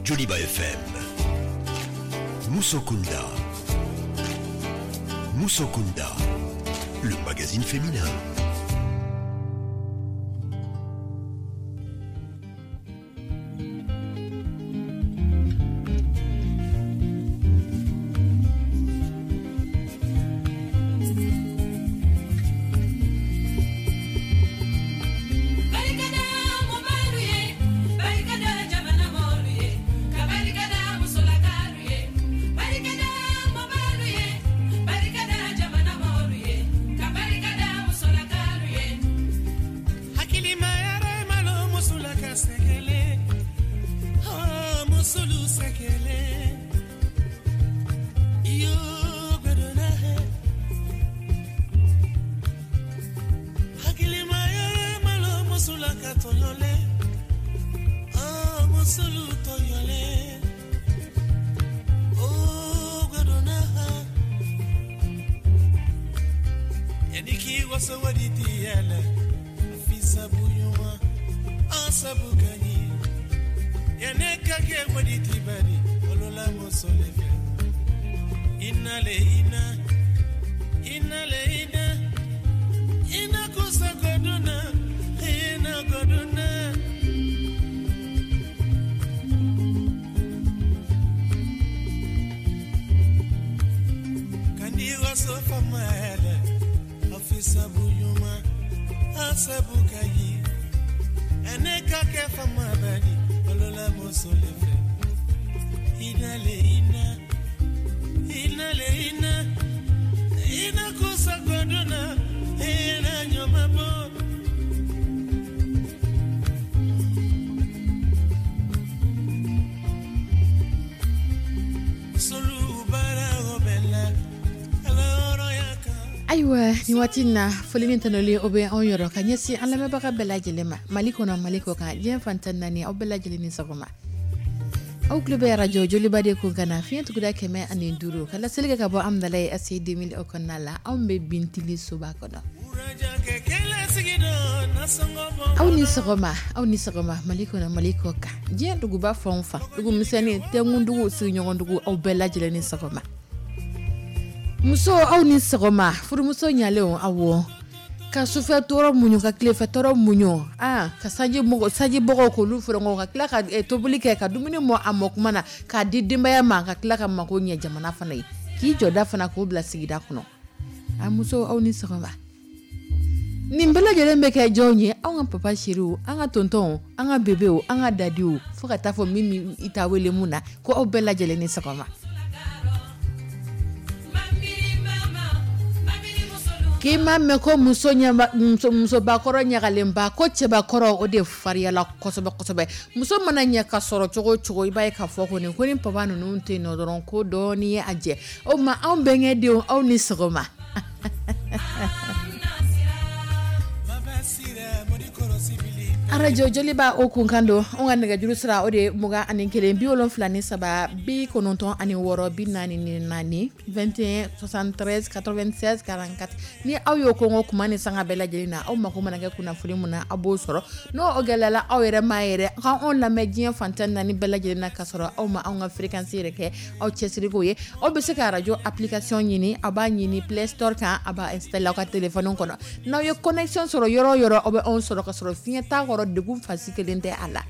Joliba FM. Musokunda. Musokunda, le magazine féminin. Ayiwa, nin waati in na, foli ni tanuli, o bɛ anw yɔrɔ ka ɲɛsin an lamɛnbaga bɛɛ lajɛlen ma, Mali kɔnɔ, Mali kɔ kan, diɲɛ fan 14, aw bɛɛ lajɛlen ni sɔgɔma. Aw tulo bɛ arajo Joliba de kun kana fiɲɛ tuguda 105, ka laseli kɛ ka bɔ Amudalayi ACI 2000 o kɔnɔna la. Anw bɛ Bintili soba kɔnɔ. Aw ni sɔgɔma, aw ni sɔgɔma, Mali kɔnɔ, Mali kɔ kan, diɲɛ duguba fan o fan, dugu misɛnnin, tɛnkundugu, sigiɲɔgɔndugu, aw bɛɛ lajɛlen ni sɔgɔma. Muso, aw ni sɔgɔma. Furumuso ɲalenw, awɔ, ka sufɛ tɔɔrɔ muɲu, ka tilefɛ tɔɔrɔ muɲu, aa, ka sanji mɔgɔ sanji bɔgɔw k'olu fɔrɔngɔ, ka tila ka tobili kɛ, ka dumuni mɔ a mɔ kuma na, k'a di denbaya ma, ka tila ka mako ɲɛ jamana fana ye, k'i jɔda fana k'o bila sigida kɔnɔ. A muso, aw ni sɔgɔma. Nin bɛɛ lajɛlen bɛ kɛ jɔnw ye? Anw ka papa chériw, an ka tontɔnw, an ka bebew, an ka dadiw, fo ka taa fɔ min i t'a wele mun na, ko aw bɛɛ lajɛlen ni sɔgɔma. K'i m'a mɛn ko muso musobakɔrɔ ɲagalenba, ko cɛbakɔrɔ, o de fariyala kosɛbɛ kosɛbɛ. Muso mana ɲɛ ka sɔrɔ cogo o cogo, i b'a ye k'a fɔ kɔni ko ni papa ninnu tɛ yen nɔ dɔrɔn, ko dɔɔnin ye a jɛ. O tuma, anw bɛnkɛ denw, aw ni sɔgɔma. Arajo Joliba, o kunkan don. Anw ka nɛgɛjuru sira, o de ye 21 73 96 44, 21 73 96 44. Ni aw y'o kɔngɔ kuma ni sanga bɛɛ lajɛlen na, aw mako mana kɛ kunnafoni mun na, aw b'o sɔrɔ. N'o o gɛlɛyala aw yɛrɛ ma yɛrɛ, ka anw lamɛn diɲɛ fan 14 bɛɛ lajɛlen na, ka sɔrɔ aw ma anw ka fréquence yɛrɛ kɛ aw cɛsiriko ye, aw bɛ se ka arajo application ɲini. Aw b'a ɲini Play Store kan, a b'a installer aw ka téléphone kɔnɔ. N'aw ye connexion sɔrɔ yɔrɔ o yɔrɔ, aw bɛ anw sɔrɔ ka sɔrɔ fiɲɛ t'a kɔrɔ, degun fasi kelen tɛ a la.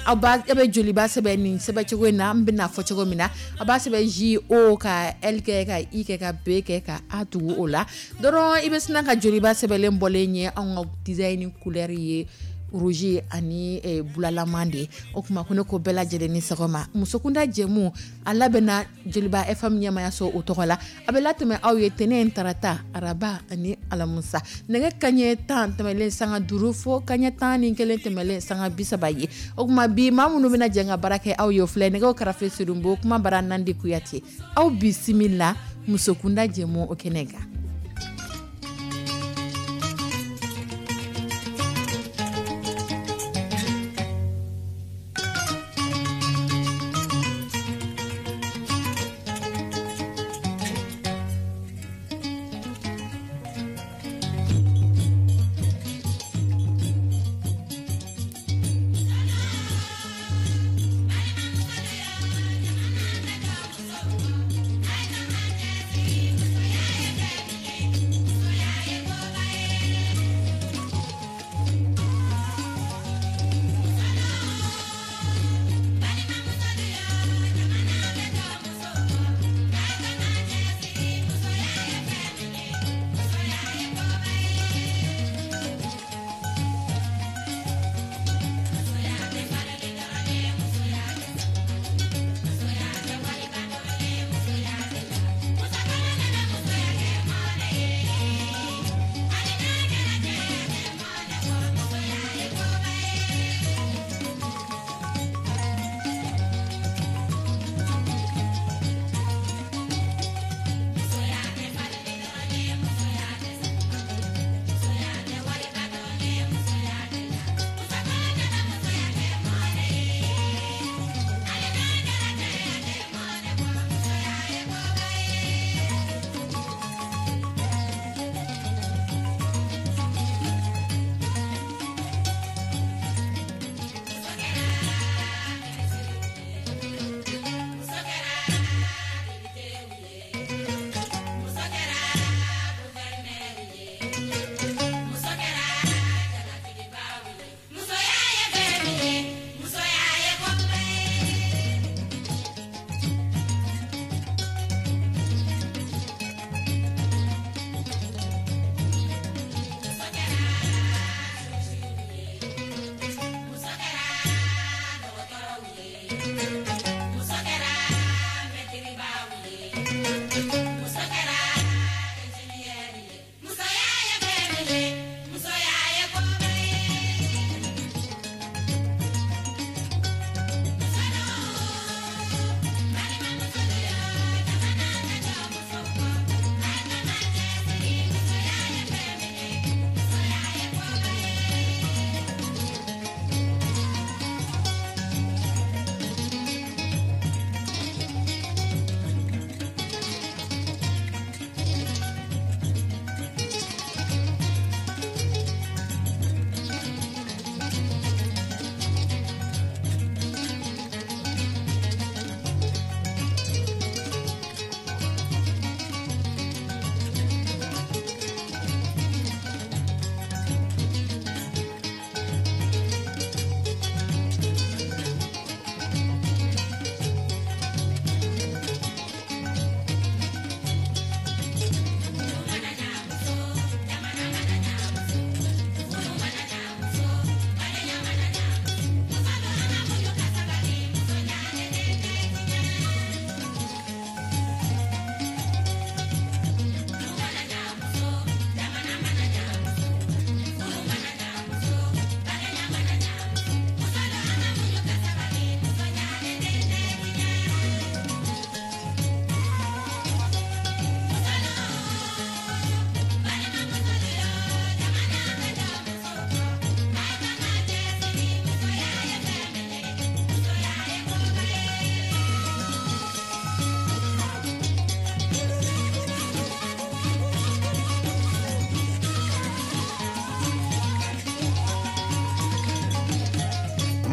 Aw b'a, aw bɛ Joliba sɛbɛn nin sɛbɛn cogo in na, an bɛna fɔ cogo min na. A b'a sɛbɛn J O ka L kɛ, ka I kɛ, ka B kɛ, ka A tugu o la dɔrɔn, i bɛ sina ka Joliba sɛbɛnlen bɔlen ye. Anw ka design couleur ye rouge ani bulalaman de ye. O tuma, ko ne ko bɛɛ lajɛlen ni sɔgɔma. Musokunda jɛmu, a labɛnna Joliba FM ɲɛmayaso o tɔgɔ la. A bɛ latɛmɛ aw ye tɛnɛn, tarata, araba ani alamusa, nɛgɛ kaɲɛ 10 tɛmɛlen sanga 5 fo kaɲɛ 11 tɛmɛlen sanga 30 ye. O tuma, bi, maa minnu bɛna jɛ ka baara kɛ aw ye, o filɛ: nɛgɛw karafe, Sedonbo, kuma bara, Nandi Kuyate. Aw bisimila musokunda jɛmu o kɛnɛ kan.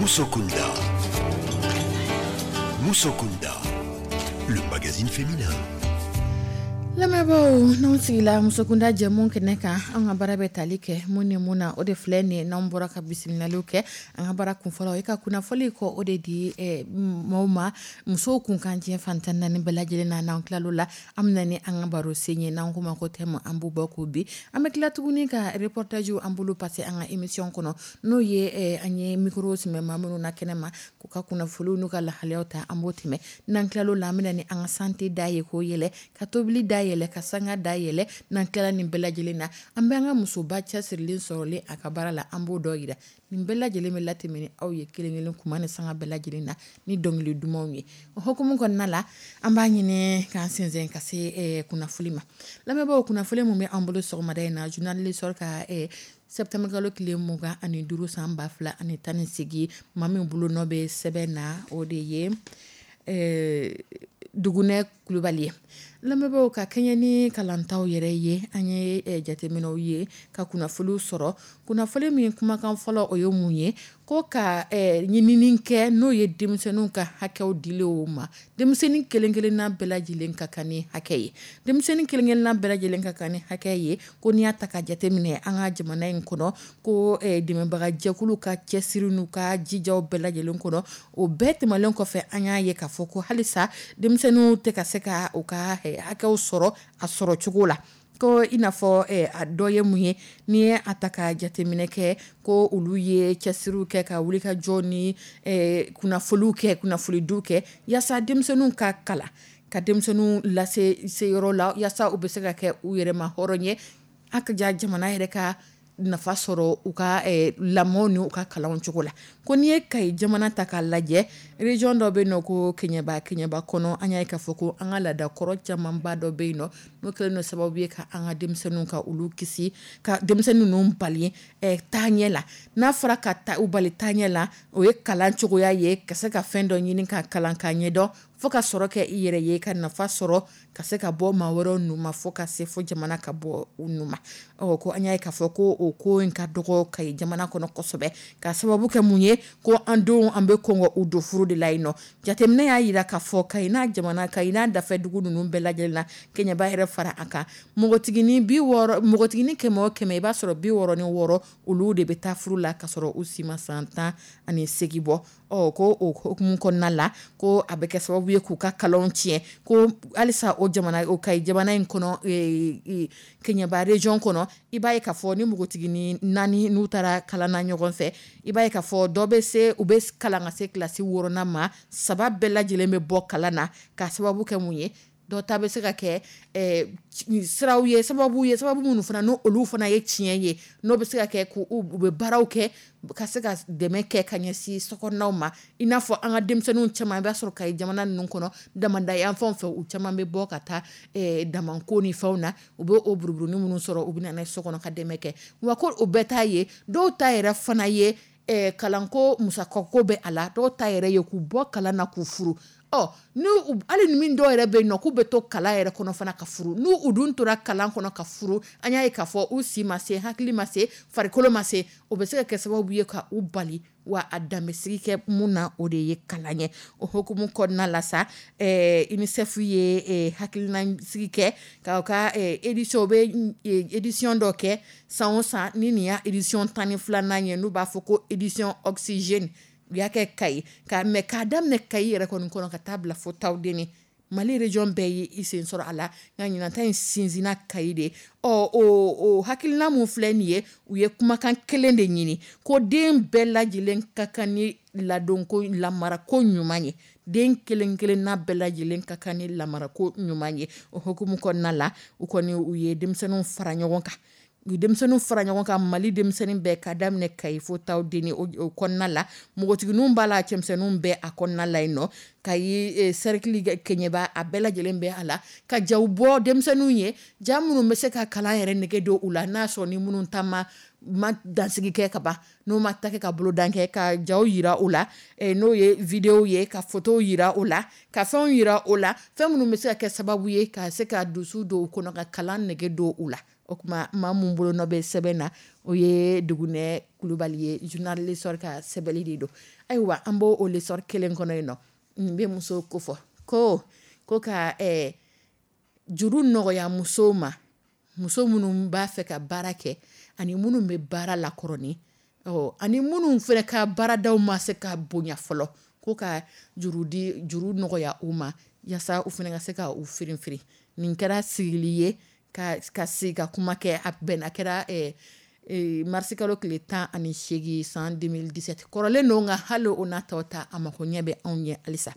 Musokunda. Musokunda, le magazine féminin. Lamɛnbaaw, n'anw sigila Musokunda jɛmu kɛnɛ kan, an ka baara bɛ tali kɛ mun ni mun na? O de filɛ nin ye. N'an bɔra ka bisimilaliw kɛ, an ka baara kunfɔlɔ, o ye ka kunnafoni kɔ o de di maaw ma musow kunkan diɲɛ fan 14 bɛɛ lajɛlen na. N'an tilal'o la, an bɛ na ni an ka baro sen ye, n'an k'o ma ko thème, an b'o bɔ k'o bin. An bɛ tila tuguni ka reportage an bolo passer an ka émission kɔnɔ, n'o ye an ye micro sɛmɛ maa minnu na kɛnɛ ma k'u ka kunnafoniw n'u ka lahalayaw ta, an b'o tɛmɛ. N'an tilal'o la, an bɛ na ni an ka santé da ye k'o yɛlɛ, ka tobili da yɛlɛ, ka sanga da yɛlɛ. N'an tilala nin bɛɛ lajɛlen na, an bɛ an ka musoba cɛsirilen sɔrɔlen a ka baara la, an b'o dɔ yira. Nin bɛɛ lajɛlen bɛ latɛmɛ ni aw ye kelen kelen kuma ni sanga bɛɛ lajɛlen na ni dɔnkili dumanw ye. O hukumu kɔnɔna la, an b'a ɲini k'an sɛnsɛn ka se kunnafoni ma. Lamɛnbaaw, kunnafoni min bɛ an bolo sɔgɔmada in na, journal L'Essor ka septembre kalo tile 25 san 2018, maa min bolo nɔ bɛ sɛbɛn na, o de ye Dugunɛ Kulubali ye. Lamɛnbaaw, ka kɛɲɛ ni kalantaw yɛrɛ ye, an ye jateminɛw ye ka kunnafoniw sɔrɔ. Kunnafoni min kumakan fɔlɔ, o ye mun ye? Ko ka ɲinini kɛ, n'o ye denmisɛnninw ka hakɛw dilen ma. Denmisɛnnin kelen-kelenna bɛɛ lajɛlen ka kan ni hakɛ ye, denmisɛnnin kelen-kelenna bɛɛ lajɛlen ka kan ni hakɛ ye. Ko n'i y'a ta ka jateminɛ an ka jamana in kɔnɔ, ko dɛmɛbagajɛkulu ka cɛsiri n'u ka jijaw bɛɛ lajɛlen kɔnɔ, o bɛɛ tɛmɛnen kɔfɛ, an y'a ye k'a fɔ ko halisa denmisɛnninw tɛ ka se ka u ka hakɛw sɔrɔ a sɔrɔ cogo la. Ko i n'a fɔ a dɔ ye mun ye? N'i ye a ta ka jateminɛ kɛ, ko olu ye cɛsiriw kɛ ka wuli ka jɔ ni kunnafoniw kɛ, kunnafonidiw kɛ, yaasa denmisɛnninw ka kalan, ka denmisɛnninw lase seyɔrɔ la, yaasa u bɛ se ka kɛ u yɛrɛ ma hɔrɔn ye, a ka ja jamana yɛrɛ ka nafa sɔrɔ u ka lamɔ ni u ka kalanw cogo la. Ko n'i ye Kayi jamana ta k'a lajɛ, région dɔ bɛ yen nɔ ko Keɲeba. Keɲeba kɔnɔ, an y'a ye k'a fɔ ko an ka laadakɔrɔ camanba dɔ bɛ yen nɔ, n'o kɛlen don sababu ye ka an ka denmisɛnninw ka olu kisi, ka denmisɛnnin ninnu bali taaɲɛ la. N'a fɔra ka ta u bali taaɲɛ la, o ye kalan cogoya ye, ka se ka fɛn dɔ ɲini ka kalan ka ɲɛdɔn, fo ka sɔrɔ kɛ i yɛrɛ ye, ka nafa sɔrɔ, ka se ka bɔ maa wɛrɛw nu ma, fo ka se fo jamana ka bɔ u nu ma. Ɔ ko an y'a ye k'a fɔ ko o ko in ka dɔgɔ Kayi jamana kɔnɔ kosɛbɛ, ka sababu kɛ mun ye? Ko an denw, an bɛ kɔn u don furu de la yen nɔ. Jateminɛ y'a jira k'a fɔ Kayi n'a jamana, Kayi n'a dafɛ dugu ninnu bɛɛ lajɛlen na, Keɲeba yɛrɛ fara a kan, npogotiginin 60, npogotiginin 100 o 100, i b'a sɔrɔ 66, olu de bɛ taa furu la ka sɔrɔ u si ma san 18 bɔ. Ɔ ko o hukumu kɔnɔna la, ko a bɛ kɛ sababu ye k'u ka kalanw tiɲɛ. Ko halisa o jamana, o Kayi jamana in kɔnɔ, Keɲeba région kɔnɔ, i b'a ye k'a fɔ ni npogo Npogotiginin 4, n'u taara kalan na ɲɔgɔn fɛ, i b'a ye k'a fɔ dɔ bɛ se, u bɛ kalan ka se kilasi 6nan ma, 3 bɛɛ lajɛlen bɛ bɔ kalan na. Ka sababu kɛ mun ye? Dɔ ta bɛ se ka kɛ siraw ye, sababu ye, sababu minnu fana n' olu fana ye tiɲɛ ye, n'o bɛ se ka kɛ u bɛ baaraw kɛ ka se ka dɛmɛ kɛ ka ɲɛsin sokɔnɔnaw ma. I n'a fɔ an ka denmisɛnninw caman, i b'a sɔrɔ Kayi jamana ninnu kɔnɔ, damada yan fanw fɛ, u caman bɛ bɔ ka taa damako ni fɛnw na. U bɛ o buruburunin minnu sɔrɔ, u bɛ na so kɔnɔ ka dɛmɛ kɛ. Wa ko o bɛɛ ta ye, dɔw ta yɛrɛ fana ye kalanko musakako bɛ a la, dɔw ta yɛrɛ ye k'u bɔ kalan na k'u furu. Ɔ hali ni min dɔw yɛrɛ bɛ yen nɔ k'u bɛ to kalan yɛrɛ kɔnɔ fana ka furu, n'u u dun tora kalan kɔnɔ ka furu, an y'a ye k'a fɔ u si ma se, hakili ma se, farikolo ma se, o bɛ se ka kɛ sababu ye ka u bali. Wa a danbesigi kɛ mun na, o de ye kalan ye. O hukumu kɔnɔna la sa, UNICEF ye hakilina sigi kɛ ka ka édition, u bɛ édition dɔ kɛ san o san. Ni nin y'a édition 12nan ye, n'u b'a fɔ ko édition oxygène, u y'a kɛ Kayi ka mais k'a daminɛ Kayi yɛrɛ kɔni kɔnɔ ka taa bila fo Tawudeni, Mali région bɛɛ ye i sen sɔrɔ a la, nka ɲinan ta in sinsinna Kayi de. Ɔ o hakilina mun filɛ nin ye, u ye kumakan kelen de ɲini ko den bɛɛ lajɛlen ka kan ni ladonko lamarako ɲuman ye, den kelen kelenna bɛɛ lajɛlen ka kan ni lamarako ɲuman ye. O hukumu kɔnɔna la, u kɔni u ye denmisɛnninw fara ɲɔgɔn kan, u denmisɛnninw fara ɲɔgɔn kan, Mali denmisɛnnin bɛɛ, ka daminɛ Kayi fo Tawudeni. O kɔnɔna la, npogotigininw b'a la, cɛmisɛnninw bɛɛ a kɔnɔna la yen nɔ. Kayi cercle Kɛɲɛba, a bɛɛ lajɛlen bɛ a la, ka jaw bɔ denmisɛnninw ye, ja minnu bɛ se ka kalan yɛrɛ nege don u la, n'a sɔrɔ ni minnu ta ma dansigi kɛ ka ban, n'u ma ta kɛ ka bolodan kɛ, ka jaw yira u la, n'o ye vidéo ye, ka photos yira u la, ka fɛnw yira u la, fɛn minnu bɛ se ka kɛ sababu ye ka se ka dusu don u kɔnɔ, ka kalan nege don u la. O tuma, maa mun bolonɔ bɛ sɛbɛn na, o ye Dugunɛ Kulubali ye, journal L'Essor ka sɛbɛnni de don. Ayiwa, an b'o o L'Essor kelen kɔnɔ yen nɔ, nin bɛ musow ko fɔ ko ka juru nɔgɔya musow ma, muso minnu b'a fɛ ka baara kɛ ani minnu bɛ baara la kɔrɔnin, ani minnu fana ka baaradaw ma se ka bonya fɔlɔ, ko ka juru di, juru nɔgɔya u ma, yaasa u fana ka se ka u firin firin. Nin kɛra sigili ye ka sigi ka kuma kɛ. A bɛn a kɛra marisikalo tile 18 san 2017. Kɔrɔlen don, nka hali o n'a tɔ ta, a mako ɲɛ bɛ anw ɲɛ halisa.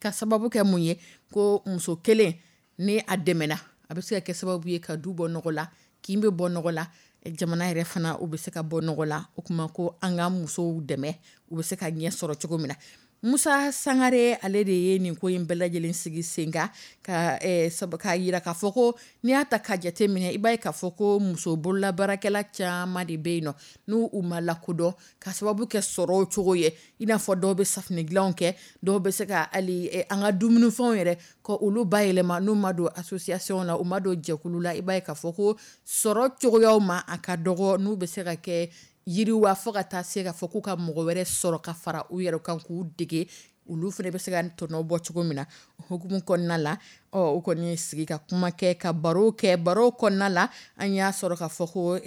Ka sababu kɛ mun ye? Ko muso kelen ni a dɛmɛna, a bɛ se ka kɛ sababu ye ka du bɔ nɔgɔ la, kin bɛ bɔ nɔgɔ la, jamana yɛrɛ fana u bɛ se ka bɔ nɔgɔ la. O kuma ko an ka musow dɛmɛ, u bɛ se ka ɲɛ sɔrɔ cogo min na. Musa Sangare, ale de ye nin ko in bɛɛ lajɛlen sigi sen kan, ka k'a yira k'a fɔ ko n'i y'a ta ka jate minɛ, i b'a ye k'a fɔ ko muso bololabaarakɛla caman de bɛ yen nɔ, n'u u ma lakodɔn ka sababu kɛ sɔrɔ cogo ye. I n'a fɔ dɔw bɛ safunɛ dilanw kɛ, dɔw bɛ se ka hali an ka dumunifɛnw yɛrɛ ko olu bayɛlɛma. N'u ma don association na, u ma don jɛkulu la, i b'a ye k'a fɔ ko sɔrɔ cogoyaw ma, a ka dɔgɔ n'u bɛ se ka kɛ yiriwa, fo ka taa se k'a fɔ k'u ka mɔgɔ wɛrɛ sɔrɔ ka fara u yɛrɛ kan k'u dege, olu fana bɛ se ka tɔnɔ bɔ cogo min na. Hukumu kɔnɔna la, ɔ u kɔni sigi ka kuma kɛ, ka baro kɛ. Baro kɔnɔna la, an y'a sɔrɔ k'a fɔ ko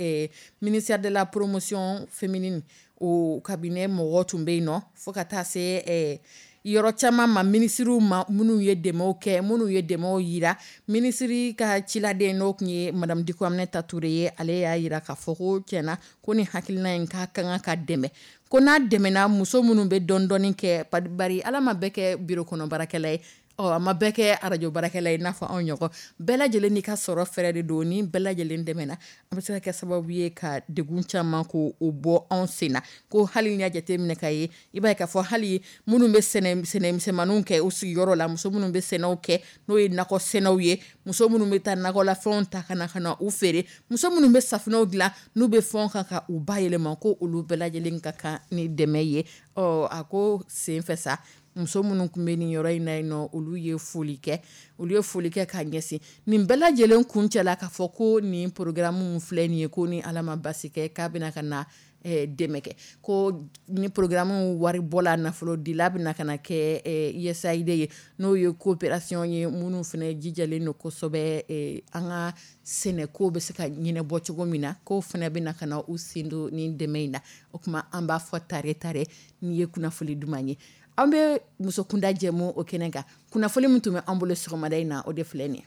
ministère de la promotion féminine, o cabinet mɔgɔ tun bɛ yen nɔ, fo ka taa se yɔrɔ caman ma, minisiriw ma, minnu ye dɛmɛw kɛ, minnu ye dɛmɛw yira. Minisiri ka ciladen, n'o tun ye madame Diko Aminata Ture ye, ale y'a yira k'a fɔ ko tiɲɛna ko ni hakilina in k'a ka kan ka dɛmɛ, ko n'a dɛmɛna, muso minnu bɛ dɔɔni dɔɔni kɛ, bari Ala ma bɛɛ kɛ biro kɔnɔ baarakɛla ye, ɔ a ma bɛɛ kɛ arajo baarakɛla ye, n'a fɔ anw ɲɔgɔn. Bɛɛ lajɛlen n'i ka sɔrɔ fɛrɛ de don. Ni bɛɛ lajɛlen dɛmɛna, an bɛ se ka kɛ sababu ye ka degun caman ko o bɔ anw sen na. Ko hali n'i y'a jateminɛ ka ye, i b'a ye k'a fɔ hali minnu bɛ sɛnɛ misɛnmaninw kɛ u sigiyɔrɔ la, muso minnu bɛ sɛnɛw kɛ, n'o ye nakɔ sɛnɛw ye, muso minnu bɛ taa nakɔlafɛnw ta ka na u feere, muso minnu bɛ safunɛw dilan, n'u bɛ fɛnw kan ka u bayɛlɛma, ko olu bɛɛ lajɛlen ka kan ni dɛmɛ ye. Ɔ a ko senfɛ sa, muso minnu tun bɛ nin yɔrɔ in na yen nɔ, olu ye foli kɛ, olu ye foli kɛ k'a ɲɛsin nin bɛɛ lajɛlen kuncɛ la, k'a fɔ ko nin programme filɛ nin ye, ko ni Ala ma basi kɛ, k'a bɛna ka na dɛmɛ kɛ, ko ni programme wari bɔla, nafolo dila bɛna ka na kɛ USAID ye, n'o ye coopération ye, minnu fana jijalen don kosɛbɛ an ka sɛnɛko bɛ se ka ɲɛnabɔ cogo min na, k'o fana bɛna ka na u sen don nin dɛmɛ in na. O tuma, an b'a fɔ tare tare nin ye kunnafoli duman ye. An bɛ musokunda jɛmu o kɛnɛ kan. Kunnafoli min tun bɛ an bolo sɔgɔmada in na, o de filɛ nin ye.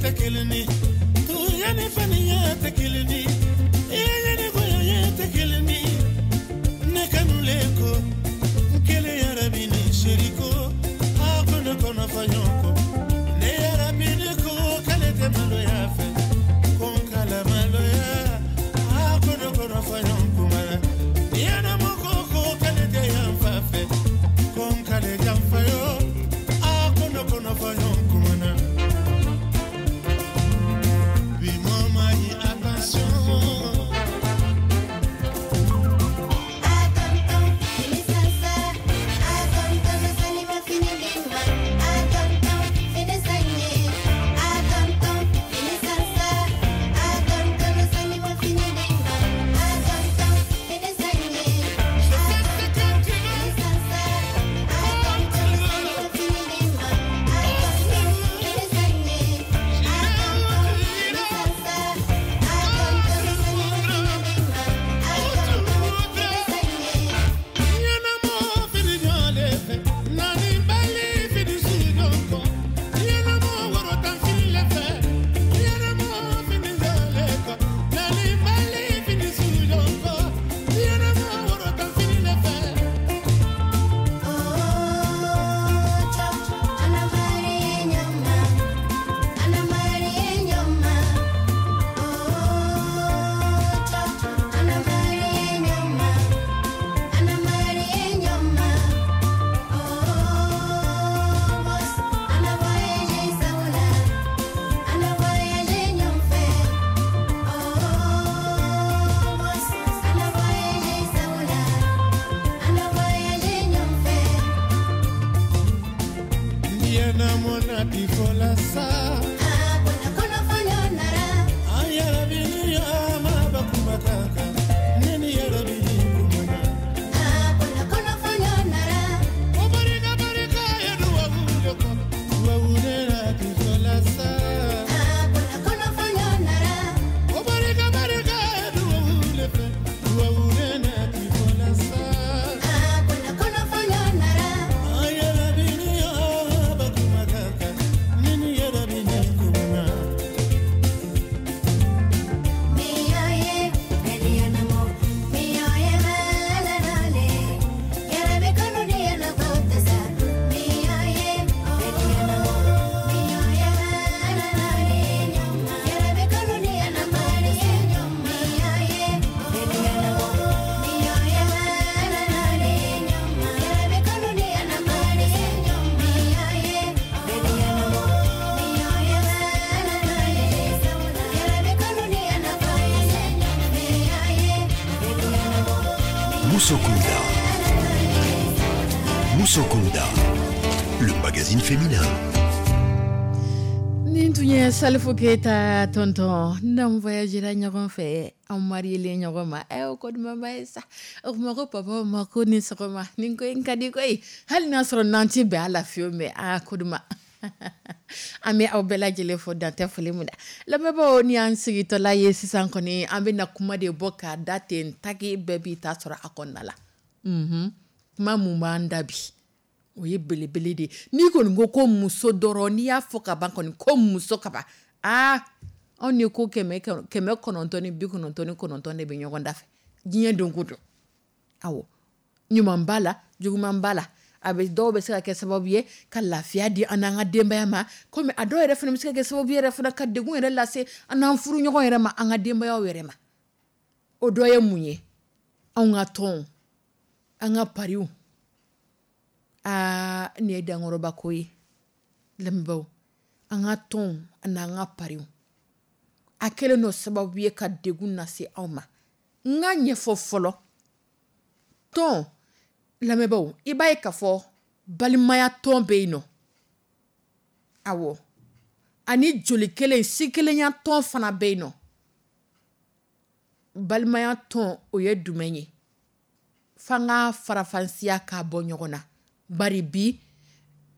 Tɛ kelen ye, tuya ni faniya tɛ kelen ye, i ni goya tɛ kelen ye. Ne kanulen ko n kelen yɛrɛ bi ni seri ko a ko ne kɔnɔ fɔ ɲɔgɔn kɔ. Ne yɛrɛ bi ne ko k'ale tɛ maloya fɛ, ko n kala maloya. A ko ne kɔnɔ fɔ ɲɔgɔn kuma na. Ɲɛnamo ko ko k'ale tɛ yan fa fɛ, ko n k'ale janfa yo. A ko ne kɔnɔ fɔ ɲɔgɔn kuma na. Bi mɔ ma ɲi, attention. Je fais ce que tu veux. Comme tu veux. J'irai où tu iras, quand tu voudras, où tu voudras. Ɲɛnamo fini ɲɔgɔnlen fɛ, naani bali fini suɲɔgɔn kɔ. Ɲɛnamo woro tan fini le fɛ, ɲɛnamo fini ɲɔgɔnlen kɔ. Naani bali fini suɲɔgɔn kɔ, ɲɛnamo woro tan fini le fɛ. Ɲɛnamo na bi fɔ la sa. An yɛrɛ bi ni ma ba kuma kan kan, ne ni yɛrɛ bi ni kuma na. O barika barika ye duwawu de kɔ, duwawu de la bi fɔ la sa. O barika barika ye duwawu de fɛ, duwawu de la bi fɔ la sa. An yɛrɛ bi ni ba kuma kan kan, ne ni yɛrɛ bi ni kuma na. Moussokunda. Moussokunda, le magazine féminin. Nin tun ye Salifu Keyita tonton n'an voyagera ɲɔgɔn fɛ, an marielen ɲɔgɔn ma. Ɛ, o ko dumanba ye sa. O kuma ko papa ma ko ni sɔgɔma. Nin ko in ka di koyi, hali n'a sɔrɔ n'an ti bɛn a la fiyewu, mais aa, ko duman. An bɛ aw bɛɛ lajɛlen fo dantɛ foli min na. Lamɛnbaaw, ni y'an sigitɔla ye sisan kɔni, an bɛna kuma de bɔ k'a da ten taki, bɛɛ b'i ta sɔrɔ a kɔnɔna la. Kuma mun b'an da bi, o ye belebele de ye. N'i kɔni ko ko muso dɔrɔn, n'i y'a fɔ ka ban kɔni ko muso ka ban, aa, anw ni ko 999 de bɛ ɲɔgɔn da fɛ diɲɛ don ko don. Awɔ, ɲuman b'a la, juguman b'a la. A bɛ dɔw bɛ se ka kɛ sababu ye ka lafiya di an n'an ka denbaya ma, komi a dɔw yɛrɛ fana bɛ se ka kɛ sababu yɛrɛ fana ka degun yɛrɛ lase an n'an furuɲɔgɔn yɛrɛ ma, an ka denbayaw yɛrɛ ma. O dɔ ye mun ye? Anw ka tɔnw, an ka pariw. Aa, nin ye dankɔrɔba ko ye. Lamɛnbaaw, an ka tɔnw ani an ka pariw, a kɛlen don sababu ye ka degun lase aw ma. N ka ɲɛfɔ fɔlɔ. Tɔn, lamɛnbaaw, i b'a ye k'a fɔ balimaya tɔn bɛ yen nɔ. Awɔ, ani joli kelen si kelenya tɔn fana bɛ yen nɔ. Balimaya tɔn, o ye jumɛn ye? F'an ka farafansiya k'a bɔ ɲɔgɔn na. Bari bi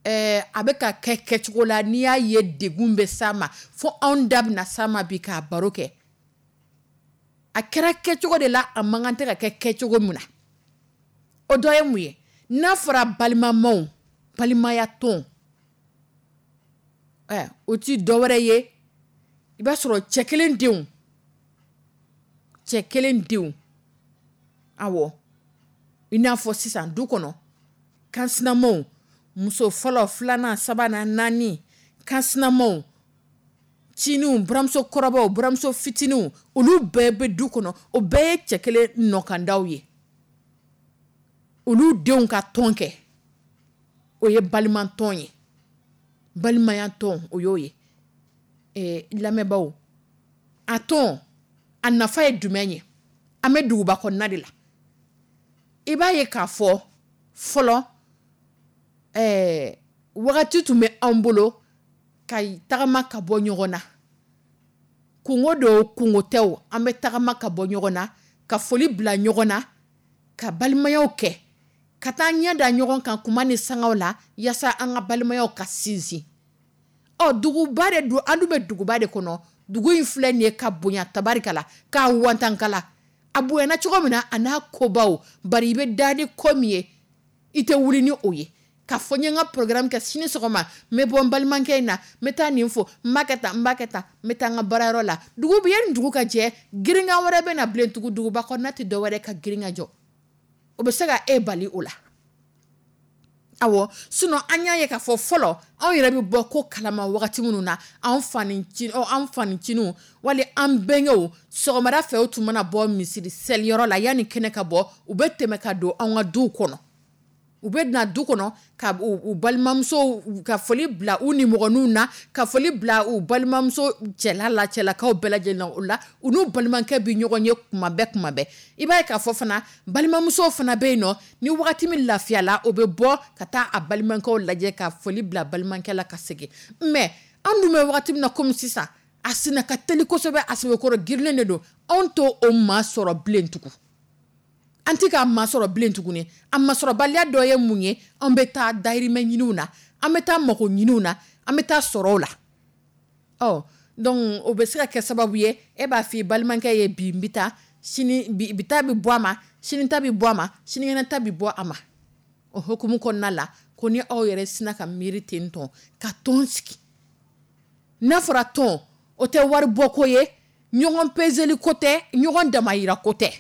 a bɛ ka kɛ kɛcogo la, n'i y'a ye degun bɛ s'a ma fo anw da bɛna s'a ma bi k'a baro kɛ. A kɛra kɛcogo de la, a man kan tɛ ka kɛ kɛcogo min na. O dɔ ye mun ye? N'a fɔra balimamaw, balimaya tɔn, ɛ, o ti dɔwɛrɛ ye. I b'a sɔrɔ cɛ kelen denw, cɛ kelen denw, awɔ, i n'a fɔ sisan du kɔnɔ, kansinamaw, muso fɔlɔ, filanan, sabanan, naani, kansinamaw, nciniw, buramuso kɔrɔbaw, buramuso fitininw, olu bɛɛ bɛ du kɔnɔ, o bɛɛ ye cɛ kelen nɔkandaw ye. Olu denw ka tɔn kɛ, o ye balimatɔn ye, balimaya tɔn, o y'o ye. Lamɛnbaaw, a tɔn a nafa ye jumɛn ye? An bɛ duguba kɔnɔna de la. I b'a ye k'a fɔ fɔlɔ, wagati tun bɛ anw bolo ka tagama ka bɔ ɲɔgɔn na. Kungo don, kungo tɛ, an bɛ tagama ka bɔ ɲɔgɔn na, ka foli bila ɲɔgɔn na, ka balimayaw kɛ, ka taa ɲɛ da ɲɔgɔn kan kuma ni sangaw la, yaasa an ka balimayaw ka sinsin. Ɔ, duguba de don, an dun bɛ duguba de kɔnɔ. Dugu in filɛ nin ye ka bonya tabarikala, k'a wantankala. A bonyana cogo min na, a n'a kobaw, bari i bɛ da ni ko min ye, i tɛ wuli ni o ye. K'a fɔ n ye n ka programme kɛ sini sɔgɔma, n bɛ bɔ n balimakɛ in na, n bɛ taa nin fo, n b'a kɛ tan, n b'a kɛ tan, n bɛ taa n ka baarayɔrɔ la. Dugu bɛ yanni dugu ka jɛ, girinkan wɛrɛ bɛ na bilen tugun. Duguba kɔnɔna tɛ dɔwɛrɛ ka girin ka jɔ. O bɛ se ka e bali o la. Awɔ, sinon an y'a ye k'a fɔ fɔlɔ, anw yɛrɛ bɛ bɔ ko kalama wagati minnu na, an faniciniw wali an bɛnkɛw, sɔgɔmada fɛ u tun mana bɔ misiri seliyɔrɔ la, yanni kɛnɛ ka bɔ, u bɛ tɛmɛ ka don an ka duw kɔnɔ. U bɛ na du kɔnɔ ka u balimamuso ka foli bila u nimɔgɔninw na, ka foli bila u balimamuso cɛla la, cɛlakaw bɛɛ lajɛlen na. O la, u n'u balimakɛ bɛ ɲɔgɔn ye kuma bɛɛ, kuma bɛɛ. I b'a ye k'a fɔ fana, balimamuso fana bɛ yen nɔ, ni wagati min lafiyala, o bɛ bɔ ka taa a balimakɛw lajɛ, ka foli bila balimakɛ la ka segin. Mais an dun bɛ wagati min na komi sisan, a senna ka teli kosɛbɛ, a sɛbɛkɔrɔ girinnen de don. Anw t'o o maa sɔrɔ bilen tugun. An tɛ k'a masɔrɔ bilen tuguni. A masɔrɔbaliya dɔ ye mun ye? An bɛ taa dahirimɛ ɲiniw na, an bɛ taa mago ɲiniw na, an bɛ taa sɔrɔw la. Ɔ, donc o bɛ se ka kɛ sababu ye, e b'a fɔ i balimakɛ ye bi n bɛ taa, sini bi ta bɛ bɔ a ma, sini ta bɛ bɔ a ma, sinikɛnɛ ta bɛ bɔ a ma. O hukumu kɔnɔna la, ko ni aw yɛrɛ sina ka miiri ten tɔn, ka tɔn sigi. N'a fɔra tɔn, o tɛ wari bɔ ko ye, ɲɔgɔn peseli ko tɛ, ɲɔgɔn damayira ko tɛ.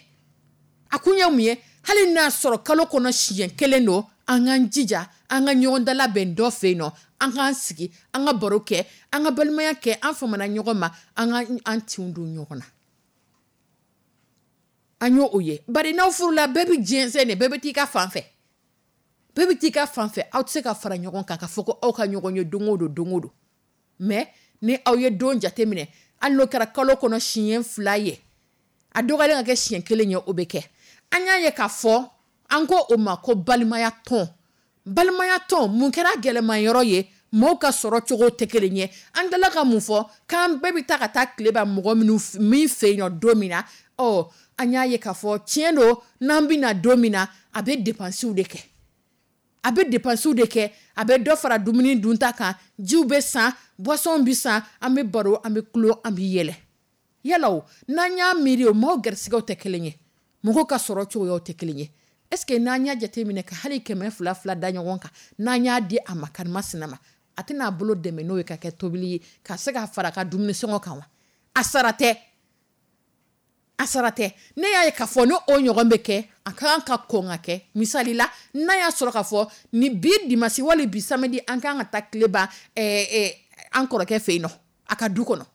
A kun ye mun ye? Hali n'a sɔrɔ kalo kɔnɔ siɲɛ kelen don, an k'an jija, an ka ɲɔgɔn dalabɛn dɔ fɛ yen nɔ, an k'an sigi, an ka baro kɛ, an ka balimaya kɛ, an famana ɲɔgɔn ma, an ka an tinw don ɲɔgɔn na. An y'o o ye. Bari n'aw furula, bɛɛ bɛ jɛnsɛn de, bɛɛ bɛ t'i ka fan fɛ. Bɛɛ bɛ t'i ka fan fɛ, aw tɛ se ka fara ɲɔgɔn kan ka fɔ ko aw ka ɲɔgɔn ye don o don, don o don. Mais ni aw ye don jate minɛ, hali n'o kɛra kalo kɔnɔ siɲɛ 2 ye, a dɔgɔyalen ka kɛ siɲɛ 1 ye, o bɛ kɛ. An y'a ye k'a fɔ, an ko o ma ko balimaya tɔn. Balimaya tɔn, mun kɛra gɛlɛman yɔrɔ ye? Mɔgɔw ka sɔrɔ cogo tɛ kelen ye. An tilala ka mun fɔ? K'an bɛɛ bɛ taa ka taa tile ban mɔgɔ minnu min fɛ yen nɔ don min na, ɔ, an y'a ye k'a fɔ tiɲɛ don, n'an bɛ na don min na, a bɛ dépenses de kɛ. A bɛ dépenses de kɛ, a bɛ dɔ fara dumuni dunta kan, jiw bɛ san, boisson bɛ san, an bɛ baro, an bɛ kulo, an bɛ yɛlɛ. Yala o, n'an y'a miiri o, maaw garisigɛw tɛ kelen ye, mɔgɔw ka sɔrɔ cogoyaw tɛ kelen ye. Est-ce que n'an y'a jateminɛ ka hali 200 fila da ɲɔgɔn kan, n'an y'a di a ma karima sina ma, a tɛna a bolo dɛmɛ n'o ye ka kɛ tobili ye, ka se ka fara a ka dumuni sɔngɔ kan wa? A sara tɛ. A sara tɛ. Ne y'a ye k'a fɔ n'o o ɲɔgɔn bɛ kɛ, a ka kan ka kɔn ka kɛ. Misali la, n'a y'a sɔrɔ k'a fɔ ni bi dimanche wali bi samedi, an kan ka taa tile ban, an kɔrɔkɛ fɛ yen nɔ, a ka du kɔnɔ.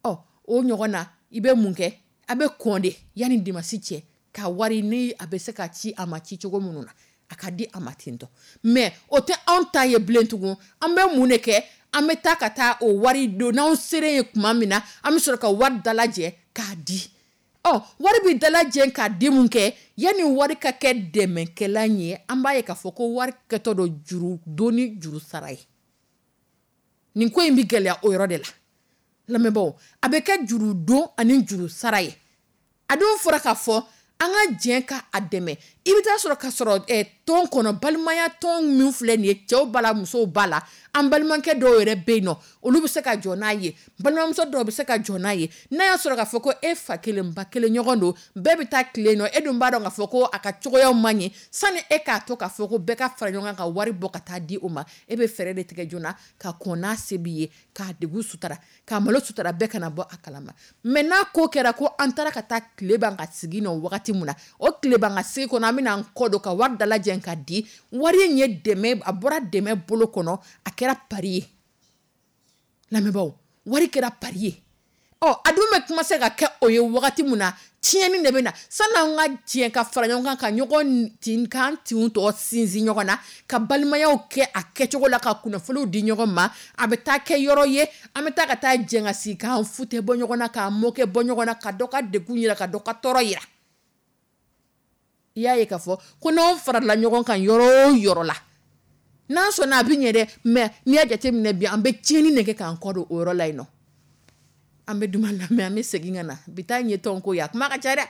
Ɔ, o ɲɔgɔn na, i bɛ mun kɛ? A bɛ kɔn de yanni dimanche cɛ, ka wari ni a bɛ se ka ci a ma ci cogo minnu na, a ka di a ma ten tɔ. Mais o tɛ anw ta ye bilen tugun. An bɛ mun de kɛ? An bɛ taa ka taa o wari don, n'anw sera yen tuma min na, an bɛ sɔrɔ ka wari dalajɛ k'a di. Ɔ, wari bɛ dalajɛ k'a di mun kɛ? Yanni wari ka kɛ dɛmɛkɛlan ye, an b'a ye k'a fɔ ko wari kɛtɔ don juru donni juru sara ye. Nin ko in bɛ gɛlɛya o yɔrɔ de la. Lamɛnbaaw, a bɛ kɛ juru don ani juru sara ye. A dun fɔra k'a fɔ an ka jɛ ka a dɛmɛ. I bɛ taa sɔrɔ ka sɔrɔ tɔn kɔnɔ, balimaya tɔn min filɛ nin ye, cɛw b'a la, musow b'a la, an balimakɛ dɔw yɛrɛ bɛ yen nɔ, olu bɛ se ka jɔ n'a ye, balimamuso dɔw bɛ se ka jɔ n'a ye. N'a y'a sɔrɔ k'a fɔ ko e fa kelen ba kelen ɲɔgɔn don, bɛɛ bɛ taa tilen nɔ, e dun b'a dɔn k'a fɔ ko a ka cogoyaw man ɲɛ, sani e k'a to k'a fɔ ko bɛɛ ka fara ɲɔgɔn kan ka wari bɔ ka taa di o ma, e bɛ fɛɛrɛ de tigɛ joona ka kɔn n'a se b'i ye, k'a degun sutara, k'a malo sutara, bɛɛ kana bɔ a kalama. Mais n'a ko kɛra ko an taara ka taa tile ban ka sigi nɔ wagati min na, o tile ban ka sigi kɔnɔ, an bɛna an kɔ don ka wari dalajɛ ka di, wari in ye dɛmɛ, a bɔra dɛmɛ bolo kɔnɔ, a kɛra pari ye. Lamɛnbaaw, wari kɛra pari ye. Ɔ, a dun bɛ kuma se ka kɛ o ye wagati min na, tiɲɛni de bɛ na. Sani an ka tiɲɛ ka fara ɲɔgɔn kan, ka ɲɔgɔn tin, k'an tinw tɔ sinsin ɲɔgɔn na, ka balimayaw kɛ a kɛcogo la, ka kunnafoniw di ɲɔgɔn ma, a bɛ taa kɛ yɔrɔ ye, an bɛ taa ka taa jɛn ka sigi, k'an futɛ bɔ ɲɔgɔn na, k'an mɔkɛ bɔ ɲɔgɔn na, ka dɔ ka degun yira, ka dɔ ka tɔɔrɔ yira. I y'a ye k'a fɔ ko n'anw farala ɲɔgɔn kan yɔrɔ o yɔrɔ la, n'an sɔnna a bɛ ɲɛ dɛ, mais n'i y'a jateminɛ bi, an bɛ tiɲɛni de kɛ k'an kɔ don o yɔrɔ la yen nɔ. An bɛ duman lamɛn, an bɛ segin ka na. Bi ta in ye tɔnko ye, a kuma ka ca dɛ.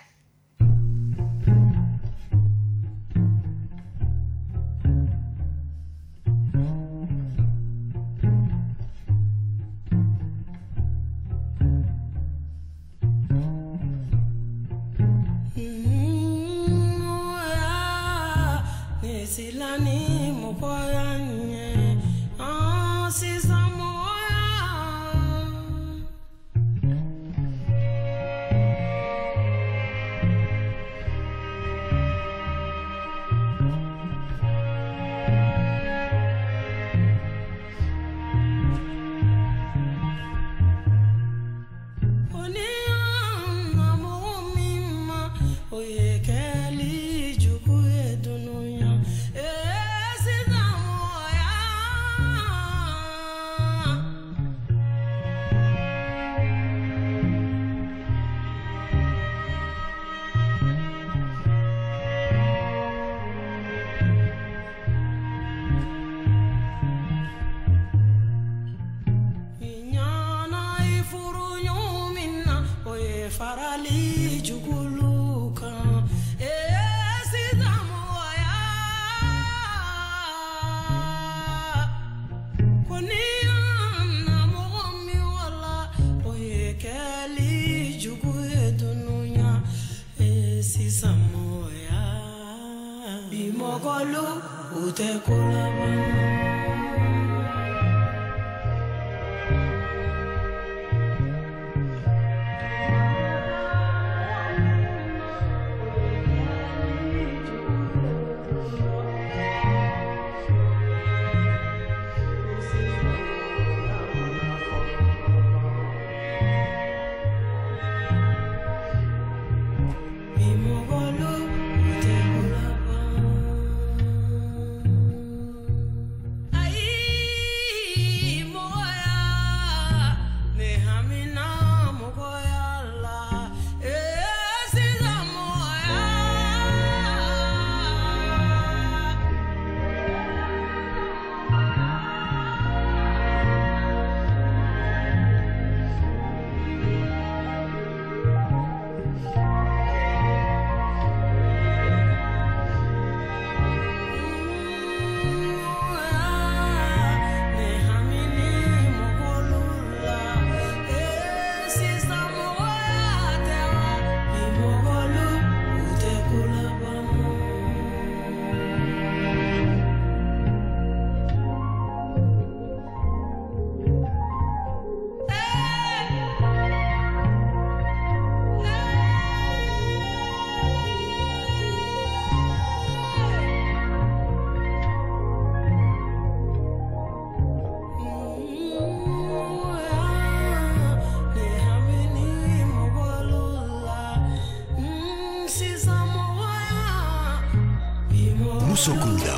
Musokunda.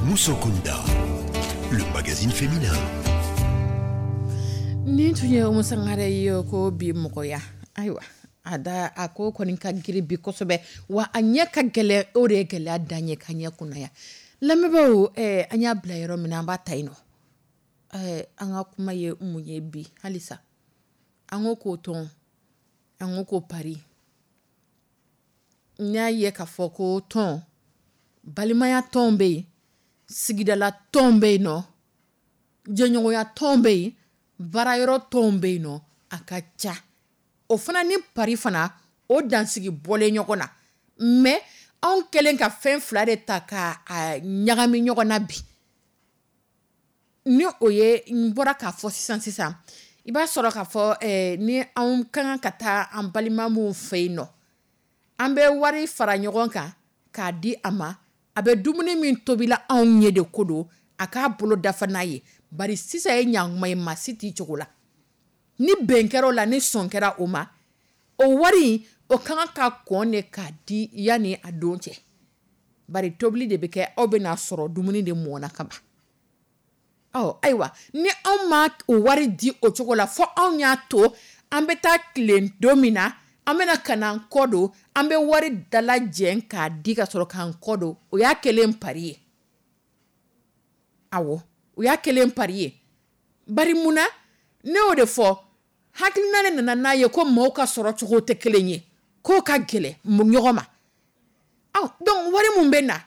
Musokunda, le magazine féminin. Nin tun ye Umu Sangare ye ko bi mɔgɔya. Ayiwa, a da a ko kɔni ka girin bi kosɛbɛ, wa a ɲɛ ka gɛlɛn, o de ye gɛlɛya dan ye ka ɲɛ kunnaya. Lamɛnbaaw, an y'a bila yɔrɔ min na, an b'a ta yen nɔ. An ka kuma ye mun ye bi halisa? An ko k'o tɔn, an ko ko pari. N y'a ye k'a fɔ ko tɔn, balimaya tɔn bɛ yen, sigidala tɔn bɛ yen nɔ, jɛɲɔgɔnya tɔn bɛ yen, baarayɔrɔ tɔn bɛ yen nɔ, a ka ca. O fana ni pari fana, o dansigi bɔlen ɲɔgɔn na. Mais anw kɛlen ka fɛn fila de ta ka a ɲagami ɲɔgɔn na bi, ni o ye n bɔra k'a fɔ sisan sisan, i b'a sɔrɔ k'a fɔ ni anw ka kan ka taa an balima minnu fɛ yen nɔ, an bɛ wari fara ɲɔgɔn kan k'a di a ma. A bɛ dumuni min tobila anw ye de ko don, a k'a bolo dafa n'a ye. Bari sisan ye ɲankuma ye, maa si t'i cogo la. Ni bɛn kɛra o la, ni sɔn kɛra o ma, o wari o ka kan ka kɔn de k'a di yanni a don cɛ. Bari tobili de bɛ kɛ, aw bɛna sɔrɔ dumuni de mɔna ka ban. Ɔ ayiwa, ni anw ma o wari di o cogo la, fɔ anw y'a to an bɛ taa tilen don min na, an bɛna ka na an kɔ don, an bɛ wari dalajɛ k'a di ka sɔrɔ k'an kɔ don, o y'a kɛlen pari ye. Awɔ, o y'a kɛlen pari ye. Bari mun na? Ne y'o de fɔ, hakilina de nana n'a ye ko maaw ka sɔrɔ cogo tɛ kelen ye, k'o ka gɛlɛn ɲɔgɔn ma. Ɔ donc wari mun bɛ na,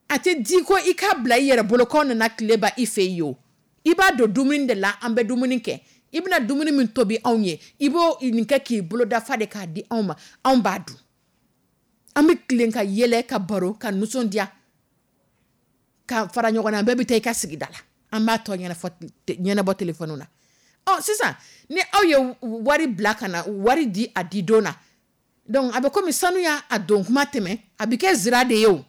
a tɛ di ko i k'a bila i yɛrɛ bolo k'aw nana tile ban i fɛ yen o. I b'a don dumuni de la, an bɛ dumuni kɛ. I bɛna dumuni min tobi anw ye, i b'o nin kɛ k'i bolo dafa de k'a di anw ma, anw b'a dun. An bɛ tilen ka yɛlɛ, ka baro, ka nisɔndiya, ka fara ɲɔgɔn na, bɛɛ bɛ taa i ka sigida la. An b'a tɔ ɲɛnabɔ telefɔni na. Ɔ sisan ni aw ye wari bila ka na, wari di a di don na, donc a bɛ komi sanu y'a don kuma tɛmɛ, a bɛ kɛ zira de ye o.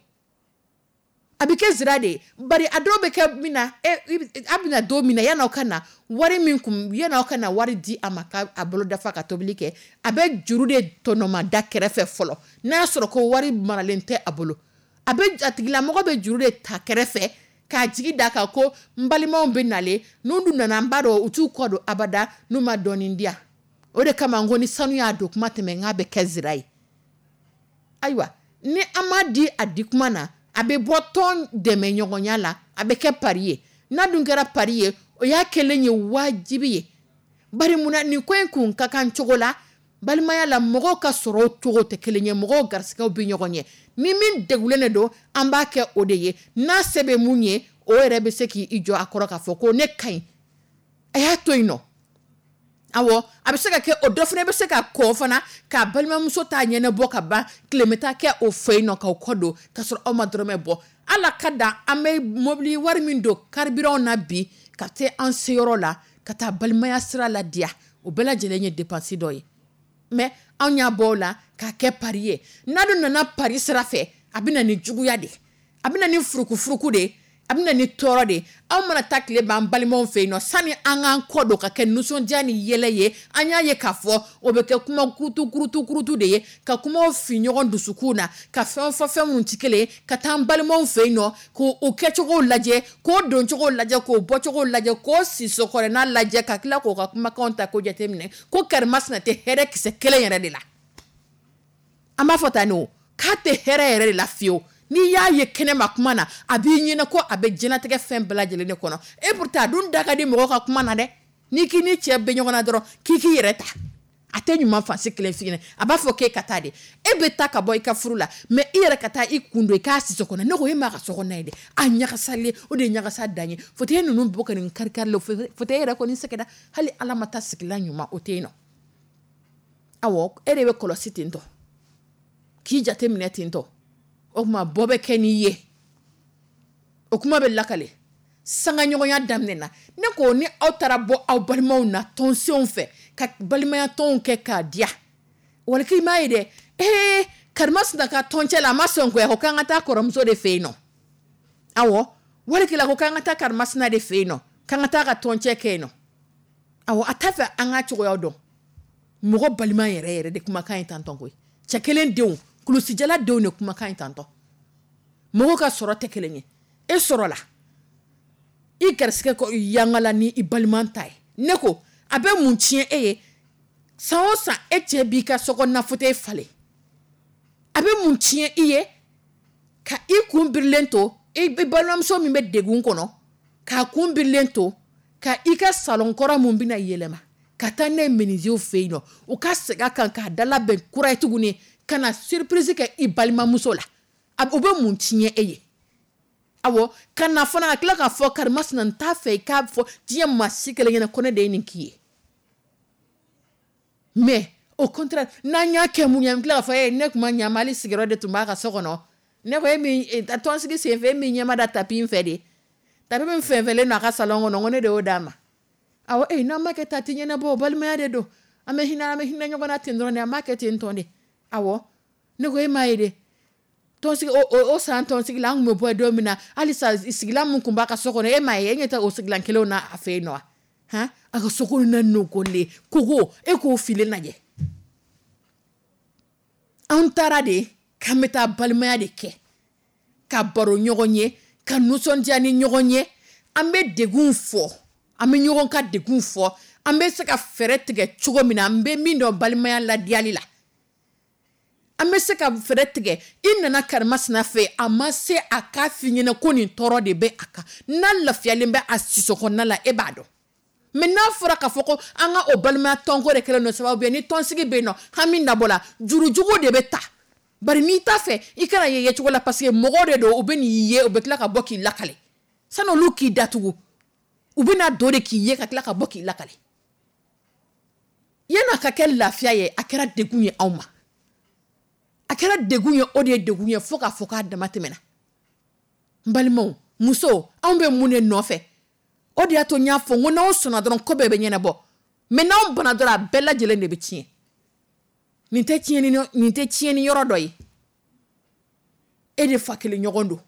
A bɛ kɛ zira de ye. Bari a dɔw bɛ kɛ min na, a bɛna don min na, yan'aw ka na wari min kun, yan'aw ka na wari di a ma k'a bolo dafa ka tobili kɛ, a bɛ juru de tɔnɔma da kɛrɛfɛ fɔlɔ. N'a y'a sɔrɔ ko wari maralen tɛ a bolo, a bɛ a tigilamɔgɔ bɛ juru de ta kɛrɛfɛ k'a jigi da kan ko n balimaw bɛ nalen, n'u dun nana, n b'a dɔn u t'u kɔ don abada n'u ma dɔɔnin di yan. O de kama n ko ni sanu y'a don kuma tɛmɛ, n k'a bɛ kɛ zira ye. Ayiwa, ni an m'a di a di kuma na, a bɛ bɔ tɔn dɛmɛ ɲɔgɔnya la, a bɛ kɛ pari ye. N'a dun kɛra pari ye, o y'a kɛlen ye wajibi ye. Bari munna nin ko in kun ka kan cogo la, balimaya la mɔgɔw ka sɔrɔ cogo tɛ kelen ye, mɔgɔw garisigɛw bɛ ɲɔgɔn ɲɛ. Ni min degulen de don, an b'a kɛ o de ye. N'a se bɛ mun ye, o yɛrɛ bɛ se k'i jɔ a kɔrɔ k'a fɔ ko ne ka ɲi, a y'a to yen nɔ. Awɔ, a bɛ se ka kɛ o dɔ fana bɛ se ka kɔ fana k'a balimamuso ta ɲɛnabɔ ka ban, tile bɛ taa kɛ o fɛ yen nɔ k'aw kɔ don k'a sɔrɔ aw ma dɔrɔmɛ bɔ. Ala ka dan an bɛ mobili wari min don carburant na bi ka se an seyɔrɔ la ka taa balimaya sira la diya, o bɛɛ lajɛlen ye dépense dɔ ye. Mais anw y'a bɔ o la k'a kɛ pari ye. N'a dun nana pari sira fɛ, a bɛ na ni juguya de ye, a bɛ na ni furukufuruku de ye, a bɛ na ni tɔɔrɔ de ye. Anw mana taa tile ban balimaw fɛ yen nɔ, sani an k'an kɔ don ka kɛ nisɔndiya ni yɛlɛ ye, an y'a ye k'a fɔ o bɛ kɛ kuma kurutu kurutu kurutu de ye, ka kumaw fi ɲɔgɔn dusukun na, ka fɛn fɔ fɛn minnu tɛ kelen ye, ka taa an balimaw fɛ yen nɔ k'o kɛcogo lajɛ, k'o doncogo lajɛ, k'o bɔcogo lajɛ, k'o sisokɔrɔnna lajɛ, ka tila k'o ka kumakanw ta k'o jateminɛ ko karimasina tɛ hɛrɛ kisɛ kelen yɛrɛ de la. An b'a fɔ tan o, k'a tɛ hɛrɛ yɛrɛ de la fiyewu. N'i y'a ye kɛnɛma kuma na, a b'i ɲɛna ko a bɛ diɲɛlatigɛ fɛn bɛɛ lajɛlen de kɔnɔ. Et pourtant a dun da ka di mɔgɔw ka kuma na dɛ. N'i k'i ni cɛ bɛ ɲɔgɔn na dɔrɔn, k'i k'i yɛrɛ ta, a tɛ ɲuman fansi kelen f'i ɲɛna. A b'a fɔ k'e ka taa de, e bɛ taa ka bɔ i ka furu la, mais i yɛrɛ ka taa i kun don i k'a si so kɔnɔ. Ne ko e m'a ka so kɔnɔna ye dɛ, a ɲagasalen, o de ye ɲagasa dan ye. Fauteuil ninnu bɔ ka nin kari kari la, fauteuil yɛrɛ kɔni sɛgɛnna, hali Ala ma taa sigilan ɲuman o tɛ yen nɔ. Awɔ, e de bɛ kɔlɔsi ten tɔ, k'i jate minɛ ten tɔ. O tuma bɔ bɛ kɛ n'i ye, o kuma bɛ lakale. Sangaɲɔgɔnya daminɛ na, ne ko ni aw taara bɔ aw balimaw na tɔnsenw fɛ ka balimaya tɔnw kɛ k'a diya, wali k'i m'a ye dɛ, ee karimasina ka tɔncɛ la a ma sɔn koyi, a ko k'an ka taa kɔrɔmuso de fɛ yen nɔ. Awɔ, wali kelen a ko k'an ka taa karimasina de fɛ yen nɔ, k'an ka taa ka tɔncɛ kɛ yen nɔ. Awɔ, a t'a fɛ an ka cogoya dɔn. Mɔgɔ balima yɛrɛ yɛrɛ de kumakan ye tantɔn koyi. Cɛ kelen denw, kulusijala denw de kumakan ye tantɔn. Mɔgɔw ka sɔrɔ tɛ kelen ye. E sɔrɔla, i garisigɛ ko yangala ni i balima ta ye. Ne ko a bɛ mun tiɲɛ e ye? San o san e cɛ b'i ka sokɔnɔna fauteuil falen. A bɛ mun tiɲɛ i ye? Ka i kun birilen to i balimamuso min bɛ degun kɔnɔ, k'a kun birilen to ka i ka salon kɔrɔ mun bɛna yɛlɛma ka taa n'a ye menuisier fɛ yen nɔ, u ka segin a kan k'a dalabɛn kura ye tuguni, Ka na surprise kɛ i balimamuso la, o bɛ mun tiɲɛ e ye? Awɔ, ka na fana ka tila k'a fɔ karimasina, n t'a fɛ i k'a fɔ diɲɛ maa si kelen ɲɛna ko ne de ye nin k'i ye. Mais au contraire, n'an y'a kɛ mun ye, an tila k'a fɔ e ne tun ma ɲa ma, hali sigiyɔrɔ de tun b'a ka so kɔnɔ. Ne ko e min tɔnsigi senfɛ, e min ɲɛma da tapis in fɛ de, tapis min fɛnfɛnlen don a ka salon kɔnɔ, ko ne de y'o d'a ma. Awɔ, e n'an ma kɛ ta ti ɲɛnabɔ, balimaya de don, an bɛ hinɛ, an bɛ hinɛ ɲɔgɔn na ten dɔrɔn de, an b'a kɛ ten tɔn de. Awɔ, ne ko e m'a ye de, tɔnsigi o san tɔnsigi la, an tun bɛ bɔ don min na, halisa sigilan min tun b'a ka so kɔnɔ, e m'a ye, e ɲɛ tɛ o sigilan kelenw na a fɛ yen nɔ wa? Han, a ka so kɔnɔna nɔgɔlen kogo, e k'o filen lajɛ. An taara de k'an bɛ taa balimaya de kɛ, ka baro ɲɔgɔn ye, ka nisɔndiya ni ɲɔgɔn ye, an bɛ degun fɔ, an bɛ ɲɔgɔn ka degun fɔ, an bɛ se ka fɛɛrɛ tigɛ cogo min na, an bɛ min dɔn balimaya ladiyali la, an bɛ se ka fɛɛrɛ tigɛ. I nana karimasina fɛ, a ma se a k'a f'i ɲɛna ko nin tɔɔrɔ de bɛ a kan, n'a lafiyalen bɛ a siso kɔnɔna la, e b'a dɔn. Mais n'a fɔra k'a fɔ ko an ka o balimaya tɔnko de kɛlen don sababu ye, ni tɔnsigi bɛ yen nɔ, hami nabɔ la, jurujugu de bɛ ta. Bari n'i t'a fɛ i kana ye yecogo la, parce que mɔgɔw de don, u bɛ n'i ye, u bɛ tila ka bɔ k'i lakale. Sani olu k'i datugu, u bɛ na don de k'i ye ka tila ka bɔ k'i lakale. Yan'a ka kɛ lafiya ye, a kɛra degun ye anw ma. A kɛra degun ye, o de ye degun ye fo k'a fɔ k'a dama tɛmɛna. N balimaw, musow, anw bɛ mun de nɔfɛ? O de y'a to n y'a fɔ n ko n'aw sɔnna dɔrɔn ko bɛɛ bɛ ɲɛnabɔ. Mais n'aw banna dɔrɔn, a bɛɛ lajɛlen de bɛ tiɲɛ. Nin tɛ tiɲɛni, nin tɛ tiɲɛni yɔrɔ dɔ ye. E de fa kelen ɲɔgɔn don.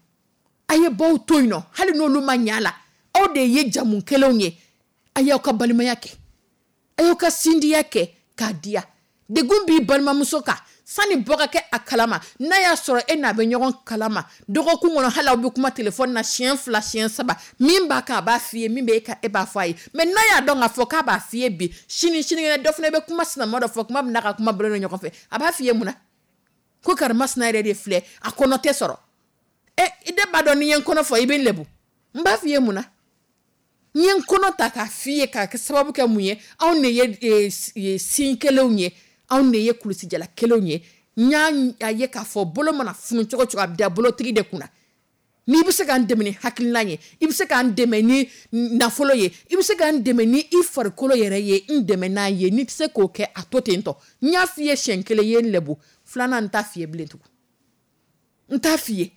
A ye baw to yen nɔ, hali n'olu ma ɲɛ a la, aw de ye jamu kelenw ye. A y'aw ka balimaya kɛ, a y'aw ka sindiya kɛ k'a diya. Degun b'i balimamuso kan, sani bɔ ka kɛ a kalama, n'a y'a sɔrɔ e n'a bɛ ɲɔgɔn kalama dɔgɔkun kɔnɔ, hali aw bɛ kuma telefɔni na siɲɛ 2, siɲɛ 3, min b'a kan a b'a f'i ye, min bɛ e kan e b'a fɔ a ye. Mais n'a y'a dɔn k'a fɔ k'a b'a f'i ye bi, sini sinikɛnɛ dɔ fana bɛ kuma sinama dɔ fɔ, kuma min n'a ka kuma bɔlen don ɲɔgɔn fɛ, a b'a f'i ye mun na? Ko karimasina yɛrɛ de filɛ, a kɔnɔ tɛ sɔrɔ. I de b'a dɔn n'i ye n kɔnɔ fɔ i bɛ n lebu. N b'a f'i ye mun na? N ye n kɔnɔ ta k'a f'i ye k'a kɛ sababu kɛ mun ye? Anw de ye sin kelenw ye, anw de ye kulusijala kelenw ye. N y'a ye k'a fɔ bolo mana funu cogo cogo, a bɛ da bolotigi de kunna. N'i bɛ se k'an dɛmɛ ni hakilina ye, i bɛ se k'an dɛmɛ ni nafolo ye, i bɛ se k'an dɛmɛ ni i farikolo yɛrɛ ye, n dɛmɛ n'a ye. N'i tɛ se k'o kɛ, a to ten tɔ. N y'a f'i ye siɲɛ 1, i ye n lebu. 2nan n t'a f'i ye bilen tugun. N t'a f'i ye.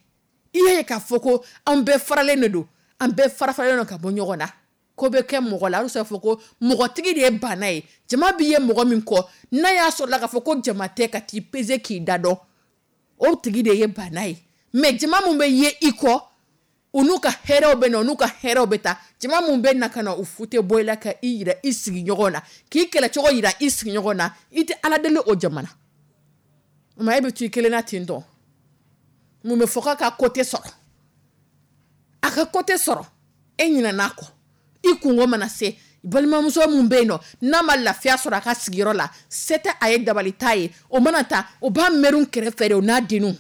I y'a ye k'a fɔ ko an bɛɛ faralen de don, an bɛɛ farafaralen don ka bɔ ɲɔgɔn na. Ko bɛ kɛ mɔgɔ la, a bɛ se k'a fɔ ko mɔgɔtigi de ye bana ye. Jama b'i ye mɔgɔ min kɔ, n'a y'a sɔrɔ la k'a fɔ ko jama tɛ ka t'i pese k'i da dɔn, o tigi de ye bana ye. Mais jama mun bɛ ye i kɔ, u n'u ka hɛrɛw bɛ na, u n'u ka hɛrɛw bɛ taa. Jama mun bɛ na ka na u fute bɔ i la ka i yira i sigiɲɔgɔn na, k'i kɛlɛcogo yira i sigiɲɔgɔn na, i tɛ Ala deli o jama na. Mais e bɛ to i kelen na ten tɔ. Mun bɛ fɔ k'a ka ko tɛ sɔrɔ? A ka ko tɛ sɔrɔ, e ɲinɛna a kɔ. I kungo mana se, balimamuso mun bɛ yen nɔ, n'a ma lafiya sɔrɔ a ka sigiyɔrɔ la, se tɛ a ye, dabali t'a ye, o mana taa, o b'a mɛrun kɛrɛfɛ de, o n'a denninw.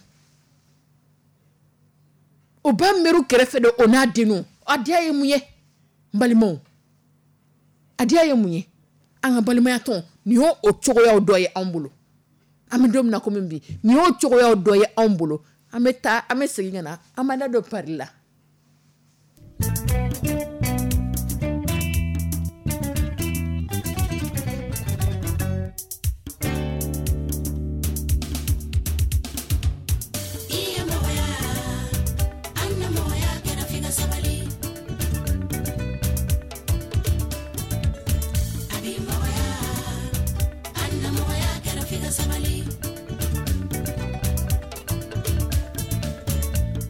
O b'a mɛrun kɛrɛfɛ de, o n'a denninw. A diya ye mun ye? N balimaw, a diya ye mun ye? An ka balimaya tɔn, nin y'o o cogoyaw dɔ ye anw bolo. An bɛ don min na komi bi, nin y'o cogoyaw dɔ ye anw bolo. An bɛ taa, an bɛ segin ka na, an b'an da don pari la.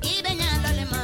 I bɛ ɲa dɔ le ma.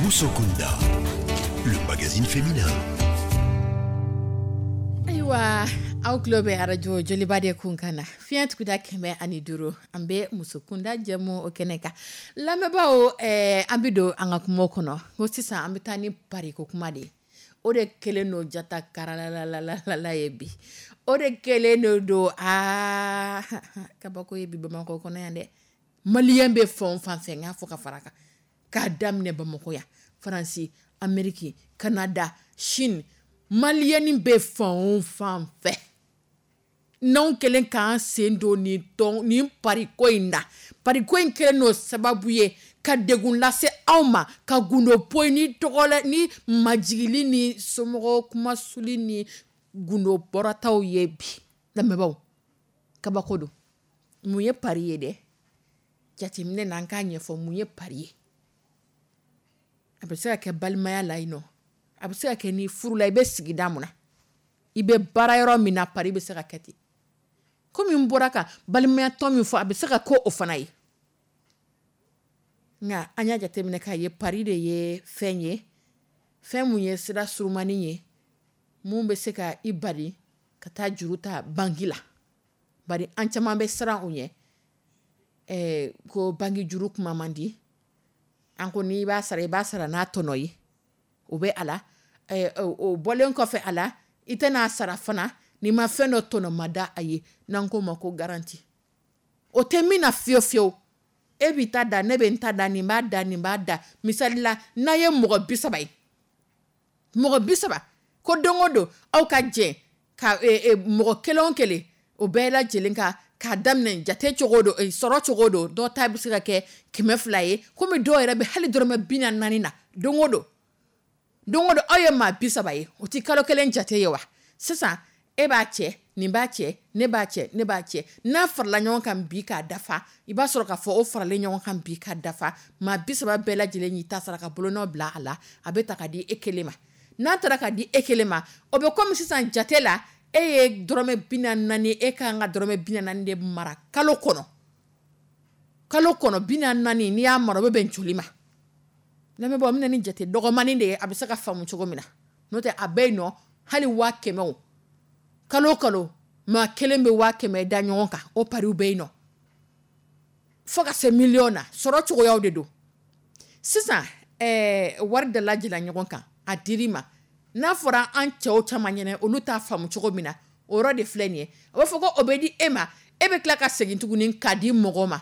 Musokunda, le magazine féminin. Ayiwa, aw tulo bɛ arajo Joliba de kun kan na, fiɲɛ tuguda 105. An bɛ Musokunda jɛmu o kɛnɛ kan. Lamɛnbaaw, an bɛ don an ka kuma kɔnɔ ko sisan an bɛ taa ni pariko kuma de ye. O de kɛlen don jata karalalalala ye bi. O de kɛlen don aa kabako ye bi Bamakɔ kɔnɔ yan dɛ. Maliyɛn bɛ fan o fan fɛ, n k'a fɔ ka fara kan, k'a daminɛ Bamakɔ yan, Faransi, Ameriki, Kanada, Chine, maliyɛn bɛ fan o fan fɛ, n'anw kɛlen k'an sen don nin tɔn nin pariko in na, pariko in kɛlen don sababu ye ka degun lase anw ma, ka gundo poyi ni tɔgɔla ni majigili ni somɔgɔw kumasuli ni gundo bɔrɔtaw ye bi. Lamɛnbaaw, kabako don. Mun ye pari ye dɛ? Jateminɛ na, an k'a ɲɛfɔ mun ye pari ye. A bɛ se ka kɛ balimaya la yen nɔ, a bɛ se ka kɛ ni furula, i bɛ sigida mun na, i bɛ baara yɔrɔ min na, pari bɛ se ka kɛ ten. Komi n bɔra ka balimayatɔn min fɔ, a bɛ se ka ko o fana ye. Nka an y'a jateminɛ k'a ye pari de ye fɛn ye, fɛn mun ye sira surumani ye, mun bɛ se ka i bali ka taa juru ta banki la. Bari an caman bɛ siran o ɲɛ, ko banki juru kuma man di. An ko n'i b'a sara, i b'a sara n'a tɔnɔ ye. O bɛ a la. O bɔlen kɔfɛ a la, i tɛna n'a sara fana n'i ma fɛn dɔ tɔnɔmada a ye, n'an k'o ma ko garantie. O tɛ min na fiyewu fiyewu, e b'i ta da, ne bɛ n ta da, nin b'a da, nin b'a da. Misali la, n'a ye mɔgɔ 30 ye, mɔgɔ 30 ko don o don aw ka jɛ ka mɔgɔ kelen o kelen, o bɛɛ lajɛlen ka k'a daminɛ jate cogo don, sɔrɔ cogo don, dɔw ta bɛ se ka kɛ 200 ye, komi dɔw yɛrɛ bɛ hali dɔrɔmɛ 44 na don o don. Don o don aw ye maa 30 ye, o tɛ kalo kelen jate ye wa? Sisan e b'a cɛ, nin b'a cɛ, ne b'a cɛ, ne b'a cɛ, n'a farala ɲɔgɔn kan bi k'a dafa, i b'a sɔrɔ k'a fɔ o faralen ɲɔgɔn kan bi k'a dafa, maa 30 bɛɛ lajɛlen y'i ta sara ka bolonɔ bila a la, a bɛ ta ka di e kelen ma. N'a taara ka di e kelen ma, o bɛ komi sisan jate la, e ye dɔrɔmɛ 44, e ka kan ka dɔrɔmɛ 44 de mara kalo kɔnɔ. Kalo kɔnɔ 44, n'i y'a mara, o bɛ bɛn joli ma? Lamɛnbaaw, n bɛna ni jate dɔgɔmanin de ye, a bɛ se ka faamu cogo min na. N'o tɛ a bɛ yen nɔ, hali 100 000 o, kalo kalo maa kelen bɛ 100 000 da ɲɔgɔn kan, o pariw bɛ yen nɔ. Fo ka se miliyɔn na, sɔrɔ cogoyaw de don. Sisan wari dalajɛla ɲɔgɔn kan, a dir'i ma. N'a fɔra an cɛw caman ɲɛna, olu t'a faamu cogo min na, o yɔrɔ de filɛ nin ye. A b'a fɔ ko o bɛ di e ma, e bɛ tila ka segin tuguni k'a di mɔgɔ ma,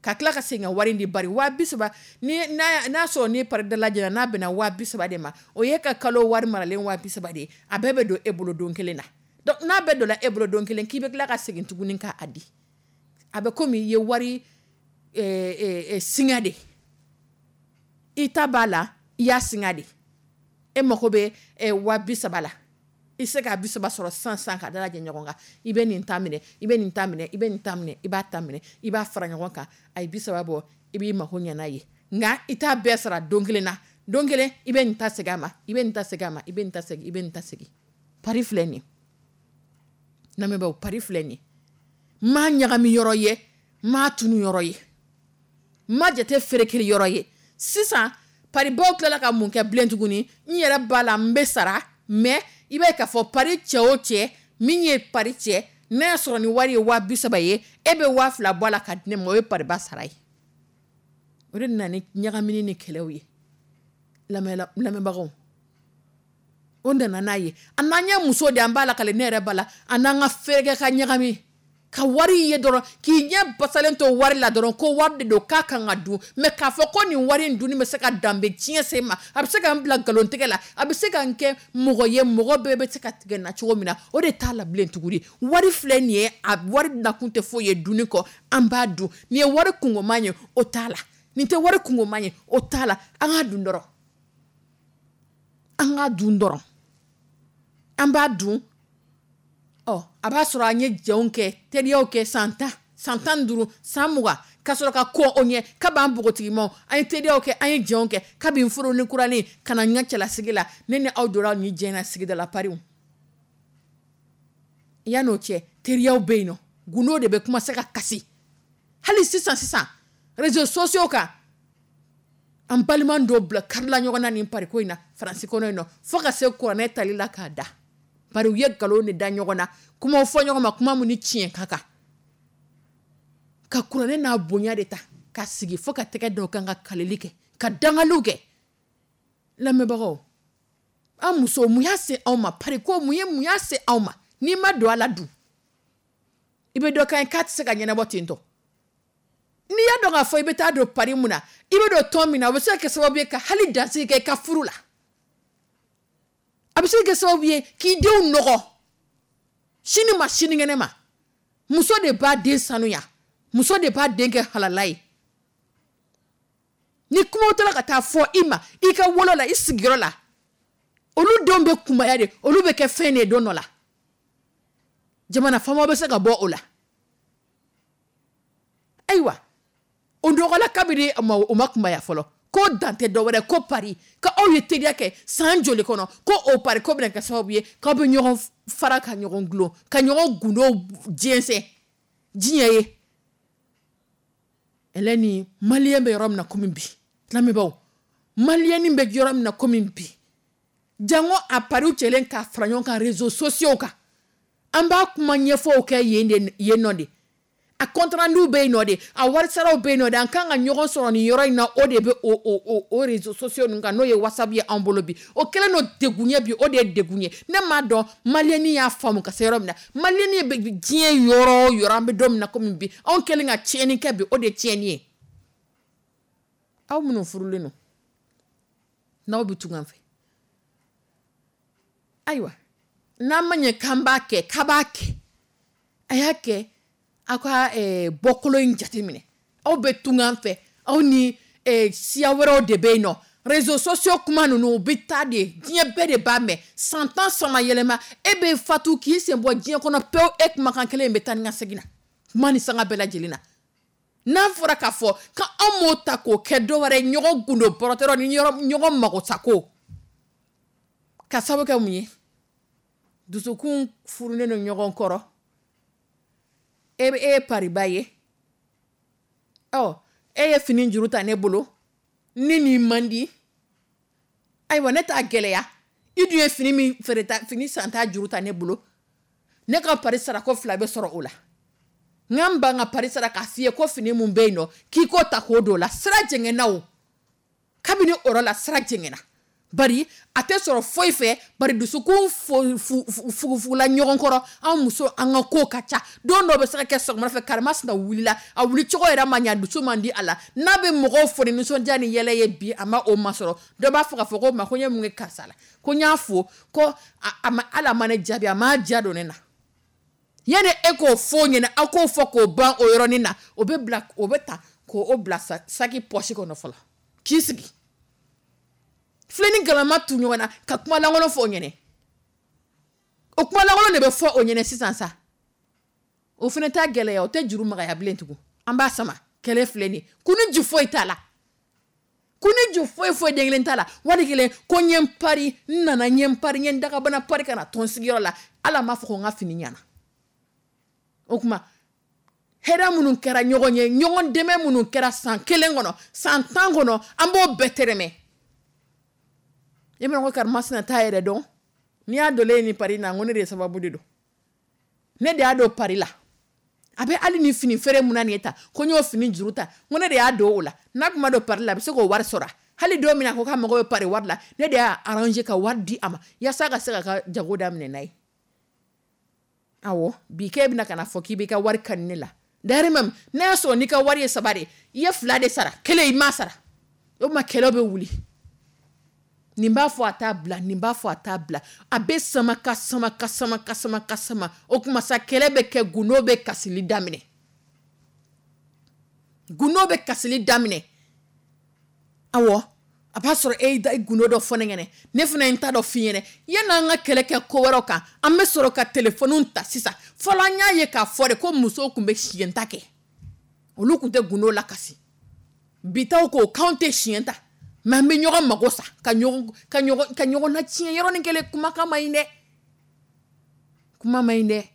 ka tila ka segin ka wari di. Bari 30 000, ni n'a sɔrɔ ni pari dalajɛla, n'a bɛnna 30 000 de ma, o ye ka kalo wari maralen 30 000 de ye. A bɛɛ bɛ don e bolo don kelen na. Donc n'a bɛɛ donna e bolo don kelen, k'i bɛ tila ka segin tuguni k'a di, a bɛ komi i ye wari singa de. I ta b'a la, i y'a singa de. E mago bɛ 30 000 la, i se k'a 30 sɔrɔ sisan sisan ka dalajɛ ɲɔgɔn kan. I bɛ nin ta minɛ, i bɛ nin ta minɛ, i bɛ nin ta minɛ, i b'a ta minɛ, i b'a fara ɲɔgɔn kan, a ye 30 bɔ, i b'i mako ɲɛ n'a ye. Nka i t'a bɛɛ sara don kelen na. Don kelen i bɛ nin ta segin a ma, i bɛ nin ta segin a ma, i bɛ nin ta segin, i bɛ nin ta segin. Pari filɛ nin ye. Lamɛnbaaw, pari filɛ nin ye. N m'a ɲagami yɔrɔ ye, n m'a tunu yɔrɔ ye, n ma jate ferekeri yɔrɔ ye. Sisan paribaw tilala ka mun kɛ bilen tuguni? N yɛrɛ b'a la, n bɛ sara, mais i b'a ye k'a fɔ pari cɛ o cɛ, min ye pari cɛ, n'a y'a sɔrɔ ni wari ye 30 000 ye, e bɛ 2000 bɔ a la ka di ne ma, o ye pariba sara ye. O de nana ni ɲagamini ni kɛlɛw ye. Lamɛnbagaw, o nana n'a ye. A n'an ye muso de, an b'a la kale, ne yɛrɛ b'a la, a n'an ka fɛrɛkɛ ka ɲagami ka wari ye dɔrɔn, k'i ɲɛ basalen to wari la dɔrɔn, ko wari de don k'a kan ka dun. Mais k'a fɔ ko nin wari in dunni bɛ se ka danbe tiɲɛ se ma, a bɛ se ka n bila nkalontigɛ la, a bɛ se ka n kɛ mɔgɔ ye, mɔgɔ bɛɛ bɛ se ka tigɛ n na cogo min na, o de t'a la bilen tuguni. Wari filɛ nin ye, a wari nakun tɛ foyi ye dunni kɔ, an b'a dun. Nin ye wari kungoman ye, o t'a la. Nin tɛ wari kungoman ye, o t'a la. An k'a dun dɔrɔn. An k'a dun dɔrɔn. An b'a dun. Ɔ, a b'a sɔrɔ an ye jɛnw kɛ, teriyaw kɛ san 10, san 15, san 20, ka sɔrɔ ka kɔn o ɲɛ kab'an npogotigimaw. An ye teriyaw kɛ, an ye jɛnw kɛ kabi n furu ni kuranin ka na n ka cɛlasigi la. Ne ni aw donna nin jɛn na sigida la pariw. Yan'o cɛ, teriyaw bɛ yen nɔ, gundo de bɛ commencer ka kasi. Hali sisan sisan, réseaux sociaux kan, an An balima dɔw bila karila ɲɔgɔn na nin pariko in na Faransi kɔnɔ yen nɔ, fo ka se kuranɛ tali la k'a da. Bari u ye nkalon de da ɲɔgɔn na, kumaw fɔ ɲɔgɔn ma, kuma min ni tiɲɛ ka kan. Ka kuranɛ n'a bonya de ta ka sigi fo ka tɛgɛ dɔw kan ka kalili kɛ, ka dangaliw kɛ. Lamɛnbagaw, an musow, mun y'a se anw ma? Pariko mun y'a se anw ma? N'i ma don a la dun, i bɛ dɔ kan ye k'a tɛ se ka ɲɛnabɔ ten tɔ. N'i y'a dɔn k'a fɔ i bɛ taa don pari mun na, i bɛ don tɔn min na, o bɛ se ka kɛ sababu ye ka hali dansigi kɛ i ka furu la. A bɛ se ka kɛ sababu ye k'i denw nɔgɔ sini ma sinikɛnɛ ma. Muso de b'a den sanuya, muso de b'a den kɛ halala ye. Ni kumaw taara ka taa fɔ i ma i ka wolo la, i sigiyɔrɔ la, olu denw bɛ kunbaya de, olu bɛ kɛ fɛn de ye don dɔ la. Jamana faamaw bɛ se ka bɔ o la. Ayiwa, o dɔgɔla kabini o ma kunbaya fɔlɔ, ko dan tɛ dɔwɛrɛ ko pari, ko aw ye teriya kɛ san joli kɔnɔ, ko o pari ko bɛna kɛ sababu ye k'aw bɛ ɲɔgɔn fara ka ɲɔgɔn gulon, ka ɲɔgɔn gundow jɛnsɛn diɲɛ ye. Ɛlɛni, maliyɛn bɛ yɔrɔ min na komi bi, lamɛnbaaw, maliyɛnni bɛ yɔrɔ min na komi bi, jango a pariw cɛlen k'a fara ɲɔgɔn kan réseaux sociaux kan, an b'a kuma ɲɛfɔw kɛ yen de, yen nɔ de. A compte rendu bɛ yen nɔ de, a warisaraw bɛ yen nɔ de, an kan ka ɲɔgɔn sɔrɔ nin yɔrɔ in na, o de bɛ o réseaux sociaux ninnu kan, n'o ye WhatsApp ye anw bolo bi. O kɛlen don degun ye bi, o de ye degun ye. Ne m'a dɔn maliyɛnni y'a faamu ka se yɔrɔ min na. Maliyɛnni bɛ diɲɛ yɔrɔ o yɔrɔ, an bɛ don min na komi bi, anw kɛlen ka tiɲɛni kɛ bi, o de ye tiɲɛni ye. Aw minnu furulen don, n'aw bɛ tungan fɛ, ayiwa, n'an ma ɲɛ k'an b'a kɛ, k'a b'a kɛ, a y'a kɛ aw ka bɔkolo in jateminɛ. Aw bɛ tungan fɛ, aw ni siya wɛrɛw de bɛ yen nɔ. Réseaux sociaux kuma ninnu u bɛ taa de, diɲɛ bɛɛ de b'a mɛn. San 10 sama yɛlɛma, e bɛ fatu k'i sen bɔ diɲɛ kɔnɔ pewu, e kumakan kelen in bɛ taa ni ka segin na kuma ni sanga bɛɛ lajɛlen na. N'a fɔra k'a fɔ k'anw m'o ta k'o kɛ dɔ wɛrɛ ye, ɲɔgɔn gundo bɔrɔtɔrɔ ni ɲɔgɔn magosako, ka sababu kɛ mun ye? Dusukun furulen don ɲɔgɔn kɔrɔ. E ye pariba ye, ɔ e ye fini juru ta ne bolo, ni nin man di, ayiwa ne t'a gɛlɛya. I dun ye fini min feere ta, fini san ta juru ta ne bolo, ne ka pari sarako 2 bɛ sɔrɔ o la. N ka n ban ka pari sara k'a f'i ye ko fini mun bɛ yen nɔ, k'i k'o ta k'o don o la. Sira jɛngɛnna o, kabini o yɔrɔ la sira jɛngɛnna. Bari a tɛ sɔrɔ foyi fɛ, bari dusukun fugufugula ɲɔgɔn kɔrɔ. An muso, an ka ko ka ca. Don dɔ bɛ se ka kɛ sɔgɔmada fɛ, karimasina wulila, a wuli cogo yɛrɛ ma ɲa, dusu man di a la. N'a bɛ mɔgɔw fo ni nisɔndiya ni yɛlɛ ye bi, a ma o masɔrɔ. Dɔ b'a fɔ k'a fɔ ko ma ko n ye mun kɛ karisa la, ko n y'a fo, ko a ma, hali a ma ne jaabi, a m'a diya don ne na. Yanni e k'o fɔ o ɲɛna, aw k'o fɔ k'o ban o yɔrɔnin na, o bɛ bila, o bɛ ta k'o bila saki pɔsi kɔnɔ fɔlɔ, k'i sigi. Filen ni galama tu ɲɔgɔn na ka kuma lankolon fɔ o ɲɛnɛ. O kuma lankolon de bɛ fɔ o ɲɛnɛ sisan sa. O fana t'a gɛlɛya, o tɛ juru magaya bilen tugun. An b'a sama, kɛlɛ filɛ nin ye. Kun ni ju foyi t'a la. Kun ni ju foyi foyi den kelen t'a la. Wali kelen ko n ye n pari, n nana n ye n pari, n ye n dagabana pari ka na tɔn sigiyɔrɔ la. Ala m'a fɔ ko n ka fini ɲɛna. O tuma, hɛrɛ minnu kɛra ɲɔgɔn ye, ɲɔgɔn dɛmɛ minnu kɛra san 1 kɔnɔ, san 10 kɔnɔ, an b'o bɛɛ tɛrɛmɛ. E ma ko karimasina t'a yɛrɛ dɔn. N'i y'a donnen ni pari na, n ko ne de ye sababu de don. Ne de y'a don pari la. A bɛ hali ni fini feere mun na nin ye ta, ko n y'o fini juru ta, n ko ne de y'a don o la. N'a tun ma don pari la, a bɛ se k'o wari sɔrɔ. Hali don min na a ko k'a mago bɛ pari wari la, ne de y'a arranger ka wari di a ma, yaasa ka se k'a ka jago daminɛ n'a ye. Awɔ, bi k'e bɛna ka na fɔ k'i b'i ka wari kani ne la. D'ailleurs même, n'a y'a sɔrɔ n'i ka wari ye 3 de ye, i ye 2 de sara, 1 i m'a sara. O tuma kɛlɛ bɛ wuli. Nin b'a fɔ a t'a bila, nin b'a fɔ a t'a bila. A bɛ sama ka sama ka sama ka sama ka sama. O tuma sa kɛlɛ bɛ kɛ, gundo bɛ kasili daminɛ. Gundo bɛ kasili daminɛ. Awɔ, a b'a sɔrɔ e y'i gundo dɔ fɔ ne ɲɛnɛ, ne fana ye n ta dɔ f'i ɲɛnɛ. Yanni an ka kɛlɛ kɛ ko wɛrɛw kan, an bɛ sɔrɔ ka telefɔniw ta sisan. Fɔlɔ an y'a ye k'a fɔ de ko musow tun bɛ siɲɛ ta kɛ. Olu tun tɛ gundo lakasi. Bi taw ko k'anw tɛ siɲɛ ta. Mais an bɛ ɲɔgɔn mago sa, ka ɲɔgɔn latiɲɛ yɔrɔnin kelen. Kumakan man ɲi dɛ. Kuma man ɲi dɛ.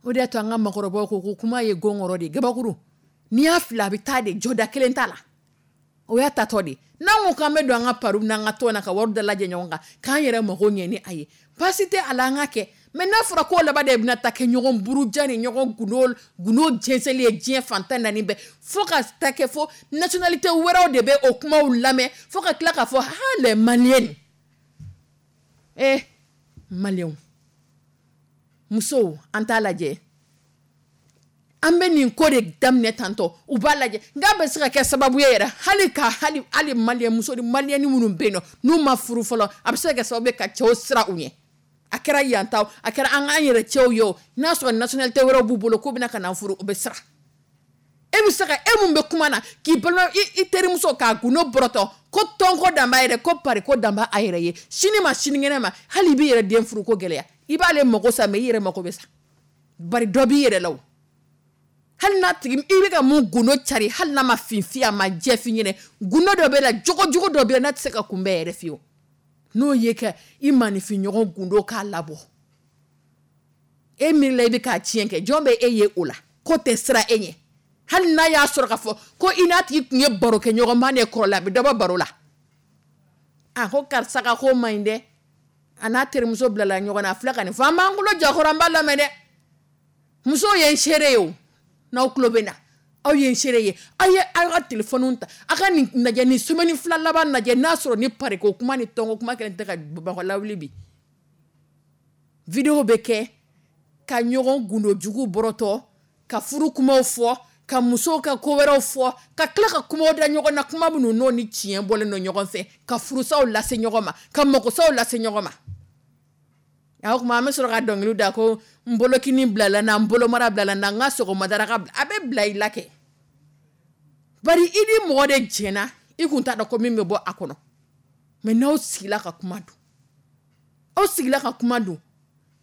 O de y'a to an ka maakɔrɔbaw ko ko kuma ye gɔngɔrɔ de ye, gabakuru. N'i y'a fili a bɛ taa de, jɔda kelen t'a la. O y'a tatɔ de. N'an ko k'an bɛ don an ka pariw n'an ka tɔn na ka wari dalajɛ ɲɔgɔn kan, k'an yɛrɛ mago ɲɛ ni a ye, baasi tɛ a la, an ka kɛ. Mais n'a fɔra k'o laban de bɛna ta kɛ ɲɔgɔn buruja ni ɲɔgɔn gundo jɛnsɛnli ye diɲɛ fantan naani bɛɛ, fo ka ta kɛ fo nationalité wɛrɛw de bɛ o kumaw lamɛn, fo ka tila k'a fɔ ha les Maliens. Maliens, musow, an t'a lajɛ, an bɛ nin ko de daminɛ tantɔ, u b'a lajɛ. Nka bɛ se ka kɛ sababu ye yɛrɛ hali ka hali malien muso ni malienne minnu bɛ yen nɔ n'u ma furu fɔlɔ, a bɛ se ka kɛ sababu ye ka cɛw siran u ɲɛ. A kɛra yan ta, a kɛra an k'an yɛrɛ cɛw ye o, n'a sɔrɔ nationalité wɛrɛw b'u bolo k'u bɛna ka na furu, u bɛ siran. E bɛ se ka e mun bɛ kuma na k'i balima i terimuso k'a gundo bɔrɔtɔ ko tɔnko dan b'a yɛrɛ, ko pari ko dan b'a yɛrɛ ye, sini ma sinikɛnɛ ma, hali i b'i yɛrɛ den furu ko gɛlɛya, i b'ale mago sa, mais i yɛrɛ mago bɛ sa, bari dɔ b'i yɛrɛ la o. Hali n'a tigi i bɛ ka mun gundo cari, hali n'a ma fin f'i ye, a ma jɛ f'i ɲɛnɛ, gundo dɔ bɛ la, jogo jugu dɔ bɛ la, n'a tɛ se ka kunbɛn yɛrɛ fiyewu, n'o ye ka i maaninfin ɲɔgɔn gundo k'a labɔ, e miirila i bɛ k'a tiɲɛ kɛ, jɔn bɛ e ye o la ko tɛ siran e ɲɛ? Hali n'a y'a sɔrɔ k'a fɔ ko i n'a tigi tun ye baro kɛ ɲɔgɔnba de kɔrɔ la, a bɛ dɔ bɔ baro la. A ko karisa ka ko man ɲi dɛ, a n'a terimuso bilala ɲɔgɔn na, a filɛ ka nin fɔ, an b'an kulo jɔ kɔrɔ, an b'a lamɛn dɛ. Musow ye n seere ye o, n'aw tulo bɛ na, aw ye n seere ye. Aw ye aw ka telefɔniw ta, aw ka nin lajɛ, nin semaine 2 laban lajɛ, n'a sɔrɔ ni pariko kuma ni tɔnko kuma kelen tɛ ka Bamakɔ lawuli bi. Video bɛ kɛ ka ɲɔgɔn gundo jugu bɔrɔtɔ, ka furu kumaw fɔ, ka musow ka ko wɛrɛw fɔ, ka tila ka kumaw da ɲɔgɔn na, kuma minnu n'o ni tiɲɛ bɔlen don ɲɔgɔn fɛ, ka furusaw lase ɲɔgɔn ma, ka makosaw lase ɲɔgɔn ma. A o tuma an bɛ sɔrɔ ka dɔnkili da ko n bolokini bilala na, n bolomara bilala na, n ka sɔgɔma daraka bila, a bɛ bila i la kɛ. Bari i ni mɔgɔ de jɛnna, i kun t'a dɔn ko min bɛ bɔ a kɔnɔ. Mais n'aw sigila ka kuma dun, aw sigila ka kuma dun,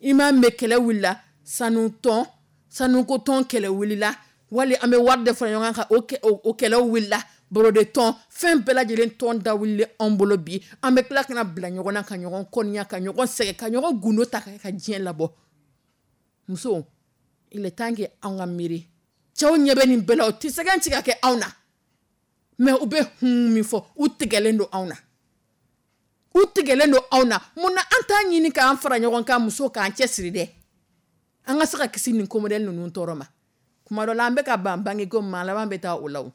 i m'a mɛn kɛlɛ wulila, sanu tɔn, sanuko tɔn kɛlɛ wulila, wali an bɛ wari de fara ɲɔgɔn kan, o kɛlɛw wulila, borode tɔn, fɛn bɛɛ lajɛlen tɔn da wulilen anw bolo bi. An bɛ tila ka na bila ɲɔgɔn na, ka ɲɔgɔn kɔniya, ka ɲɔgɔn sɛgɛn, ka ɲɔgɔn gundo ta ka diɲɛ labɔ. Muso, il est temps que anw ka miiri. Cɛw ɲɛ bɛ nin bɛɛ la, u tɛ sɛgɛn ci ka kɛ anw na, mais u bɛ hun min fɔ, u tigɛlen don anw na, u tigɛlen don anw na. Mun na an t'a ɲini k'an fara ɲɔgɔn kan, muso k'an cɛsiri dɛ, an ka se ka kisi nin ko modèle ninnu tɔɔrɔ ma. Kuma dɔ la an bɛ ka ban bange ko ma, laban bɛ taa o la o.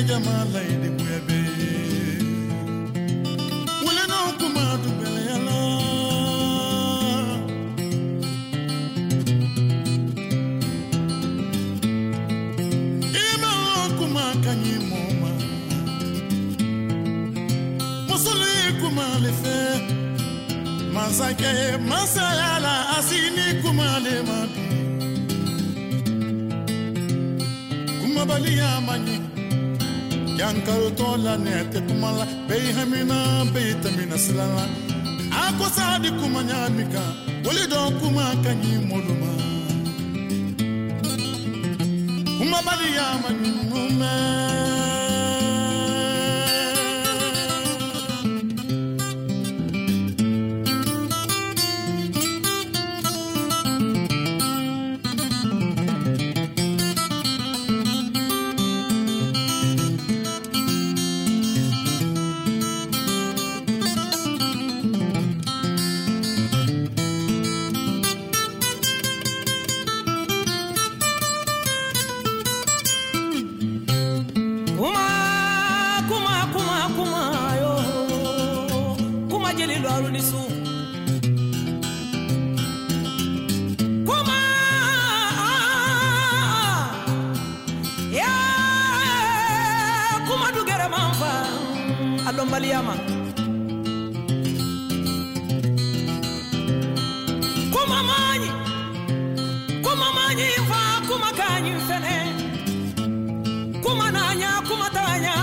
Jama la Masakɛ ye masaya la, a sigi ni kuma le ma bi. Kumabaliya man ɲi. Jankarotɔ la, ne tɛ kuma la, bɛɛ y'i hamina, bɛɛ y'i tɛmɛna sira la. A ko sa di kuma ɲa min kan, wali dɔn kuma ka ɲi mɔlu ma. Kumabaliya man ɲi mun mɛn. Kuma, kuma, kuma, kuma, yo. Kuma jeli lɔru ni su. Kuma, yeah, kuma dugɛrɛ man fa, a dɔnbaliya ma. Kuma man ɲi, kuma man ɲi fa, kuma ka ɲi fɛnɛ. Kuma na ɲa, kuma t'a ɲa.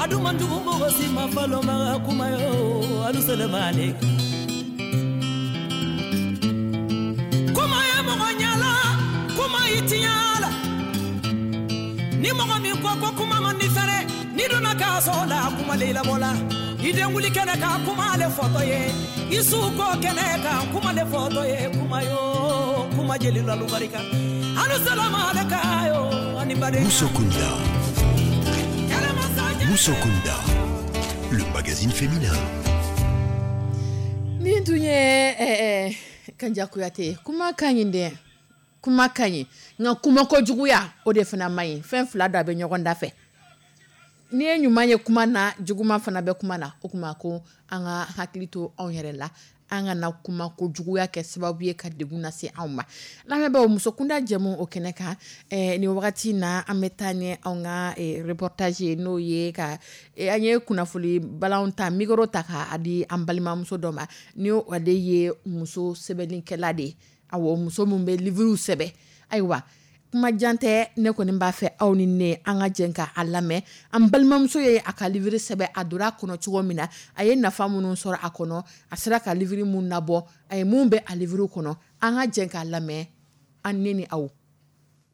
A dun man jugu mɔgɔ si ma falo ma kuma yo, alu salamale. Kuma ye mɔgɔ ɲala, kuma y'i tiɲɛ la. Ni mɔgɔ min ko ko kuma man di fɛnɛ, n'i donna kaso la, kuma le labɔ la. I den wuli kɛnɛ kan, kuma le fɔtɔ ye. I su ko kɛnɛ kan, kuma le fɔtɔ ye. Kuma yo, kuma jeli lalu barika. Alu salamale yo, ani baden. Musokunda. Kɛlɛmasa jɛ. Musokunda, le magazine féminin. Nin tun ye Kanja Kuyate ye. Kuma ka ɲi dɛ, kuma ka ɲi, nka kuma kojuguya o de fana man ɲi. Fɛn fila dɔ a bɛ ɲɔgɔn da fɛ. N'i ye ɲuman ye kuma na, juguman fana bɛ kuma na. O kuma ko an ka hakili to anw yɛrɛ la, an kana kuma kojuguya kɛ sababu ye ka degun lase anw ma. Lamɛnbaaw, musokunda jɛmu o kɛnɛ kan, nin wagati na an bɛ taa ni anw ka reportage ye, n'o ye ka an ye kunnafoni balanw ta, micro ta k'a di an balimamuso dɔ ma, ni ale ye muso sɛbɛnnikɛla de ye. Awɔ, muso min bɛ livre sɛbɛn. Ayiwa, kuma jan tɛ, ne kɔni b'a fɛ aw ni ne an ka jɛ ka a lamɛn. An balimamuso ye a ka livre sɛbɛn, a donna a kɔnɔ cogo min na, a ye nafa minnu sɔrɔ a kɔnɔ, a sera ka livre mun nabɔ, a ye mun bɛ a livre kɔnɔ, an ka jɛ k'a lamɛn, an ne ni aw.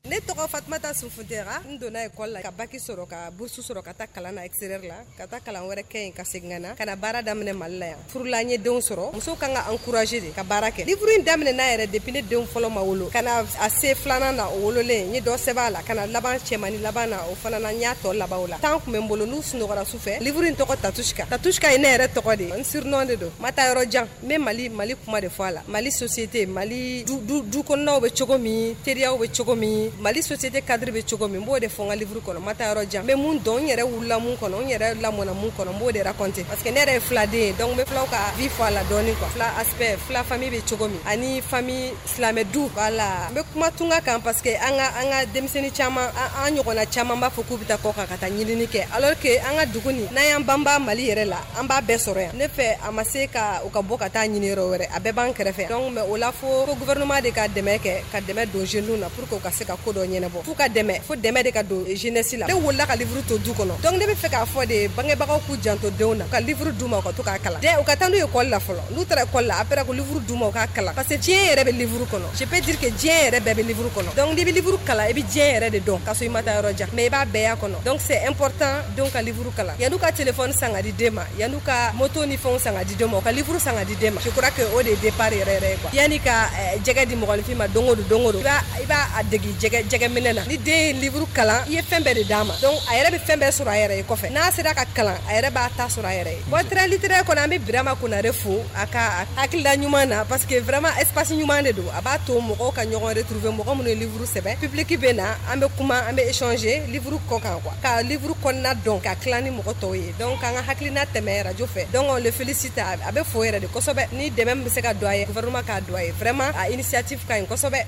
Ne tɔgɔ Fatumata Sufuntera. N donna école la ka bac sɔrɔ, ka bourse sɔrɔ ka taa kalan na extérieur la, ka taa kalan wɛrɛ kɛ yen, ka segin ka na, ka na baara daminɛ Mali la yan. Furula, n ye denw sɔrɔ. Musow kan ka encourager de ka baara kɛ. Livre in daminɛ n'a yɛrɛ depuis ne denw fɔlɔ ma wolo, ka na a se filanan na, o wololen n ye dɔ sɛbɛn a la, ka na laban cɛmani laban na, o fana na n y'a tɔ laban o la. Temps kun bɛ n bolo, n'u sunɔgɔra su fɛ. Livre in tɔgɔ Tatushka. Tatushka ye ne yɛrɛ tɔgɔ de ye, n surnom de don. Ma taa yɔrɔ jan, n bɛ Mali kuma de fɔ a la. Mali société, Mali du kɔnɔnaw bɛ cogo min, teriyaw bɛ cogo min, Mali société cadre bɛ cogo min, n b'o de fɔ n ka livre kɔnɔ. Ma taa yɔrɔ jan, n bɛ mun dɔn, n yɛrɛ wulila mun kɔnɔ, n yɛrɛ lamɔna mun kɔnɔ, n b'o de raconter, parce que ne yɛrɛ ye filaden ye. Donc n bɛ filaw ka vie fɔ a la dɔɔni quoi. Fila aspect, fila famille bɛ cogo min, ani famille silamɛ du. Voilà, n bɛ kuma tunga kan parce que an ka denmisɛnnin caman, an ɲɔgɔnna caman b'a fɔ k'u bɛ taa kɔ kan ka taa ɲinini kɛ, alors que an ka dugu nin, n'an y'an banba Mali yɛrɛ la, an b'a bɛɛ sɔrɔ yan. Ne fɛ, a ma se ka u ka bɔ ka taa ɲini yɔrɔ wɛrɛ, a bɛɛ b'an kɛrɛfɛ. Donc mais o la, fo gouvernement de ka dɛmɛ kɛ, ka dɛmɛ don jeunes na pour que u ka se ka ko dɔ ɲɛnabɔ. F'u ka dɛmɛ, fo dɛmɛ de ka don jeunesse la. Ne wolola ka livre to du kɔnɔ, donc ne bɛ fɛ k'a fɔ de bangebagaw k'u janto denw na, ka livre d'u ma, u ka to k'a kalan dɛ. U ka taa n'u ye école la fɔlɔ. N'u taara école la, après ko livre d'u ma, u k'a kalan, parce que diɲɛ yɛrɛ bɛ livre kɔnɔ. Je peux dire que diɲɛ yɛrɛ bɛɛ bɛ livre kɔnɔ. Donc n'i bɛ livre kalan, i bɛ diɲɛ yɛrɛ de dɔn, k'a sɔrɔ i ma taa yɔrɔ jan, mais i b'a bɛɛ y'a kɔnɔ. Donc c'est important denw ka livre kalan. Yan'u ka téléphone san ka di den ma, yan'u ka moto ni fɛnw san ka di den ma, u ka livre san ka di den ma. Je crois que o de ye départ yɛrɛ yɛrɛ ye quoi. Yanni ka jɛgɛ di mɔgɔninfin ma don o don, don o don, i b'a a degi jɛgɛ minɛ na. Ni den ye livre kalan, i ye fɛn bɛɛ de d'a ma. Donc a yɛrɛ bɛ fɛn bɛɛ sɔrɔ a yɛrɛ ye kɔfɛ. N'a sera ka kalan, a yɛrɛ b'a ta sɔrɔ a yɛrɛ ye. Bon, train littéraire kɔnɔ, an bɛ Birama Konare fo a ka hakilila ɲuman na, parce que vraiment espace ɲuman de don. A b'a to mɔgɔw ka ɲɔgɔn retrouver, mɔgɔ minnu ye livre sɛbɛn, public bɛ na, an bɛ kuma, an bɛ échanger livre kɔ kan quoi, ka livre kɔnɔna dɔn, ka tila ni mɔgɔ tɔw ye. Donc an ka hakilina tɛmɛ radio fɛ. Donc on le félicite, a bɛ fo yɛrɛ de kosɛbɛ. Ni dɛmɛ min bɛ se ka don a ye, gouvernement k'a don a ye. Vraiment, a initiative ka ɲi kosɛbɛ.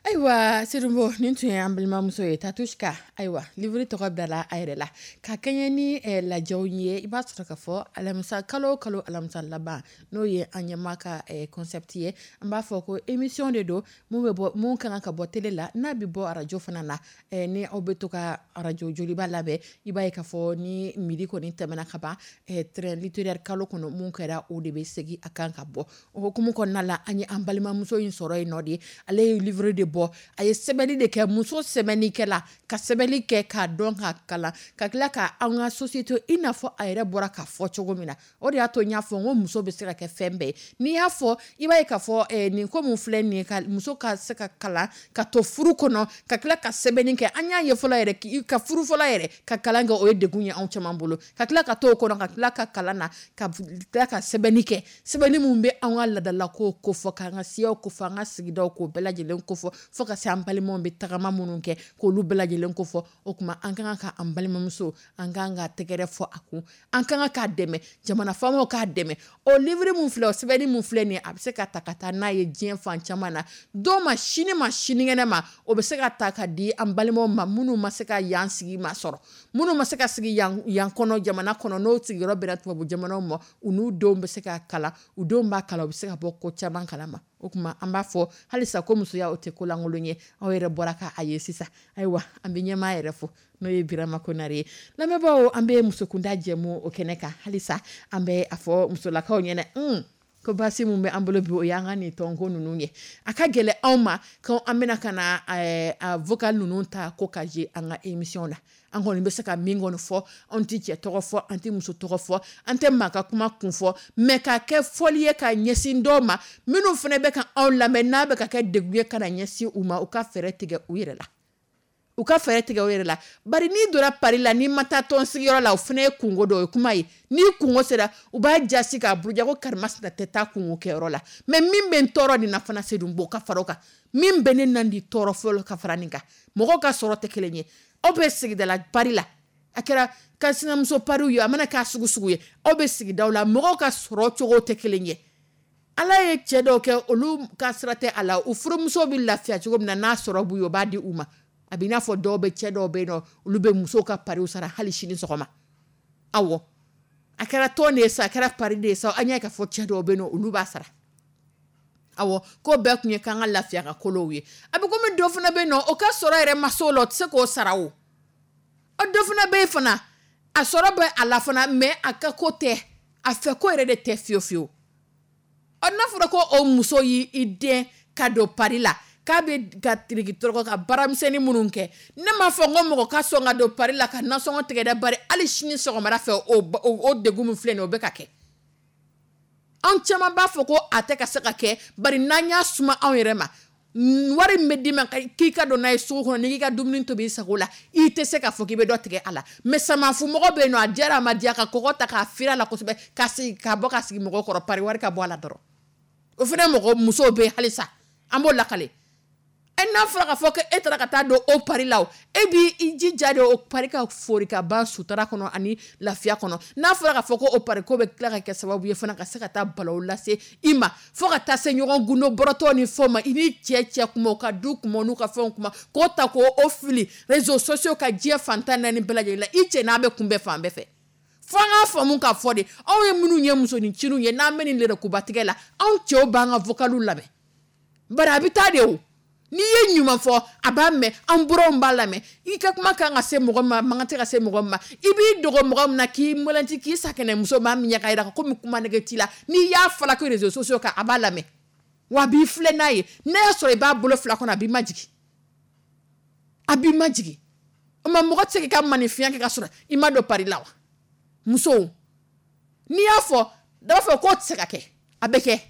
Ayiwa Seydou, nin tun ye an balimamuso ye Tatushka. Ayiwa, livre tɔgɔ bilala a yɛrɛ la ka kɛɲɛ ni lajɛw ye. I b'a sɔrɔ ka fɔ alamisa, kalo o kalo alamisa laban, n'o ye an ɲɛma ka concept ye, an b'a fɔ ko émission de don mun bɛ bɔ, mun kan ka bɔ télé la, n'a bɛ bɔ arajo fana la. Ni aw bɛ to ka arajo Joliba labɛn, i b'a ye k'a fɔ ni midi kɔni tɛmɛna ka ban, train littéraire kalo kɔnɔ mun kɛra, o de bɛ segin a kan ka bɔ. O hukumu kɔnɔna la, an ye an balimamuso in sɔrɔ yen nɔ de. Ale ye livre de bɔ, a ye sɛbɛnni de kɛ, muso sɛbɛnnikɛla, ka sɛbɛnni kɛ k'a dɔn, k'a kalan, ka tila ka an ka société, i n'a fɔ a yɛrɛ bɔra k'a fɔ cogo min na. O de y'a to n y'a fɔ n ko muso bɛ se ka kɛ fɛn bɛɛ ye. N'i y'a fɔ, i b'a ye k'a fɔ nin ko mun filɛ nin ye, ka muso ka se ka kalan, ka to furu kɔnɔ, ka tila ka sɛbɛnni kɛ. An y'a ye fɔlɔ yɛrɛ, ka furu fɔlɔ yɛrɛ ka kalan kɛ, o ye degun ye anw caman bolo. Ka tila ka to o kɔnɔ, ka tila ka kalan na, ka tila ka sɛbɛnni kɛ, sɛbɛnni mun bɛ an ka laadalakow kofɔ, k'an ka siyaw kofɔ, an ka sigidaw k'o bɛɛ lajɛlen kofɔ, fo ka se an balimaw bɛ tagama minnu kɛ, k'olu bɛɛ lajɛlen kofɔ. O tuma an ka kan ka an balimamuso, an ka kan ka tɛgɛrɛ fɔ a kun, an ka kan k'a dɛmɛ, jamana faamaw k'a dɛmɛ. O livre mun filɛ, o sɛbɛnni mun filɛ nin ye, a bɛ se ka ta ka taa n'a ye diɲɛ fan caman na, dɔw ma sini ma, sinikɛnɛ ma, o bɛ se ka ta ka di an balimaw ma minnu ma se ka yan sigi ma sɔrɔ, minnu ma se ka sigi yan yan kɔnɔ, jamana kɔnɔ, n'o sigiyɔrɔ bɛnna tubabu jamanaw ma. U n'u denw bɛ se ka kalan, u denw b'a kalan, u bɛ se ka bɔ ko caman kalama. O tuma an b'a fɔ halisa ko musoya, o tɛ ko lankolon ye. Aw yɛrɛ bɔra k'a ye sisan. Ayiwa, an bɛ ɲɛmaa yɛrɛ fo, n'o ye Birama Konare ye. Lamɛnbaaw, an bɛ musokunda jɛmu o kɛnɛ kan halisa. An bɛ a fɔ musolakaw ɲɛna ko baasi mun bɛ an bolo bi, o y'an ka nin tɔnko ninnu ye. A ka gɛlɛn anw ma ko an bɛna ka na a vocal ninnu ta ko ka je an ka émission na. An kɔni bɛ se ka min kɔni fɔ, anw tɛ cɛ tɔgɔ fɔ, an tɛ muso tɔgɔ fɔ, an tɛ maa ka kuma kun fɔ, mais k'a kɛ fɔli ye ka ɲɛsin dɔw ma minnu fana bɛ ka anw lamɛn, n'a bɛ ka kɛ degun ye ka na ɲɛsin u ma, u ka fɛɛrɛ tigɛ u yɛrɛ la, u ka fɛɛrɛ tigɛ u yɛrɛ la. Bari n'i donna pari la, n'i ma taa tɔn sigiyɔrɔ la, o fana ye kungo dɔ ye, kuma ye. N'i kungo sera, u b'a jasi k'a buruja ko karimasina tɛ taa kungo kɛyɔrɔ la. Mais min bɛ n tɔɔrɔ nin na fana, Seydou Bo ka fara o kan, min bɛ ne nan di tɔɔrɔ fɔlɔ ka fara nin kan, mɔgɔw ka sɔrɔ tɛ kelen ye. Aw bɛ sigidala pari la, a kɛra ka sinamuso pariw ye, a mana k'a sugu sugu ye, aw bɛ sigidaw la, mɔgɔw ka sɔrɔ cogo tɛ kelen ye. Ala ye cɛ dɔw kɛ, olu ka sira tɛ a la, u furumuso bɛ lafiya cogo min na, n'a sɔrɔ b'u ye, o b'a di u ma. A b'i n'a fɔ dɔw bɛ, cɛ dɔw bɛ yen nɔ, olu bɛ musow ka pariw sara hali sini sɔgɔma. Awɔ, a kɛra tɔn de ye sa, a kɛra pari de ye sa, an y'a ye k'a fɔ cɛ dɔw bɛ yen nɔ, olu b'a sara. Awɔ, ko bɛɛ kun ye k'an ka lafiya ka kolow ye. A bɛ komi dɔ fana bɛ yen nɔ, o ka sɔrɔ yɛrɛ ma s'o la, o tɛ se k'o sara. O dɔ fana bɛ yen fana, a sɔrɔ bɛ a la fana, mais a ka ko tɛ, a fɛ ko yɛrɛ de tɛ fiyewu fiyewu. Ɔ, n'a fɔra ko o muso y'i den ka don pari la, k'a bɛ ka tiriki tɔrɔkɔ ka baaramisɛnnin minnu kɛ, ne m'a fɔ n ko mɔgɔ ka sɔn ka don pari la ka nasɔngɔ tigɛ dɛ. Bari hali sini sɔgɔmada fɛ, o degun min filɛ nin ye, o bɛ ka kɛ. Anw caman b'a fɔ ko a tɛ ka se ka kɛ, bari n'an y'a suma anw yɛrɛ ma, wari min bɛ d'i ma k'i ka don n'a ye sugu kɔnɔ, n'i k'i ka dumuni tobi i sago la, i tɛ se k'a fɔ k'i bɛ dɔ tigɛ a la. Mais samafumɔgɔ bɛ yen nɔ, a diyara a ma diya, ka kɔgɔ ta k'a firi a la kosɛbɛ, ka sigi ka bɔ ka sigi mɔgɔw kɔrɔ, pari wari ka bɔ a la dɔrɔn. O fana mɔgɔ musow bɛ yen halisa, an b'o lakale. E n'a fɔra k'a fɔ ko e taara ka taa don o pari la, o e b'i jija de o pari ka fori ka ban sutura kɔnɔ ani lafiya kɔnɔ. N'a fɔra k'a fɔ ko o pari ko bɛ tila ka kɛ sababu ye fana ka se ka taa balawu lase i ma, fo ka taa se ɲɔgɔn gundo bɔrɔtɔ ni fɛnw ma, i ni cɛ cɛ kuma, u ka du kuma, n'u ka fɛnw kuma, k'o ta k'o fili réseaux sociaux ka diɲɛ fantan naani bɛɛ lajɛlen la, i cɛ n'a bɛ kunbɛn fan bɛɛ fɛ. Fo an k'a faamu k'a fɔ de, anw ye minnu ye musonincinw ye, n'an bɛ nin lɛrɛkubatigɛ la, anw cɛw b'an ka vocaliw lamɛn, bari a bɛ taa de. O n'i ye ɲuman fɔ, a b'a mɛn, an buranw b'a lamɛn. I ka kuma kan ka se mɔgɔ ma, man kan tɛ ka se mɔgɔ ma, i b'i dogo mɔgɔ min na, k'i mɔlɛnti, k'i sakɛnɛmuso maa min ɲɛ ka yira komi kuma nege t'i la, n'i y'a fɔla ko réseaux sociaux kan, a b'a lamɛn, wa a b'i filɛ n'a ye. N'a y'a sɔrɔ i b'a bolo fila kɔnɔ, a b'i majigin, a b'i majigin. O ma mɔgɔ tɛ se k'i ka maninfinya kɛ ka sɔrɔ i ma don pari la wa? Musow, n'i y'a fɔ, dɔ b'a fɔ k'o tɛ se ka kɛ. A bɛ kɛ,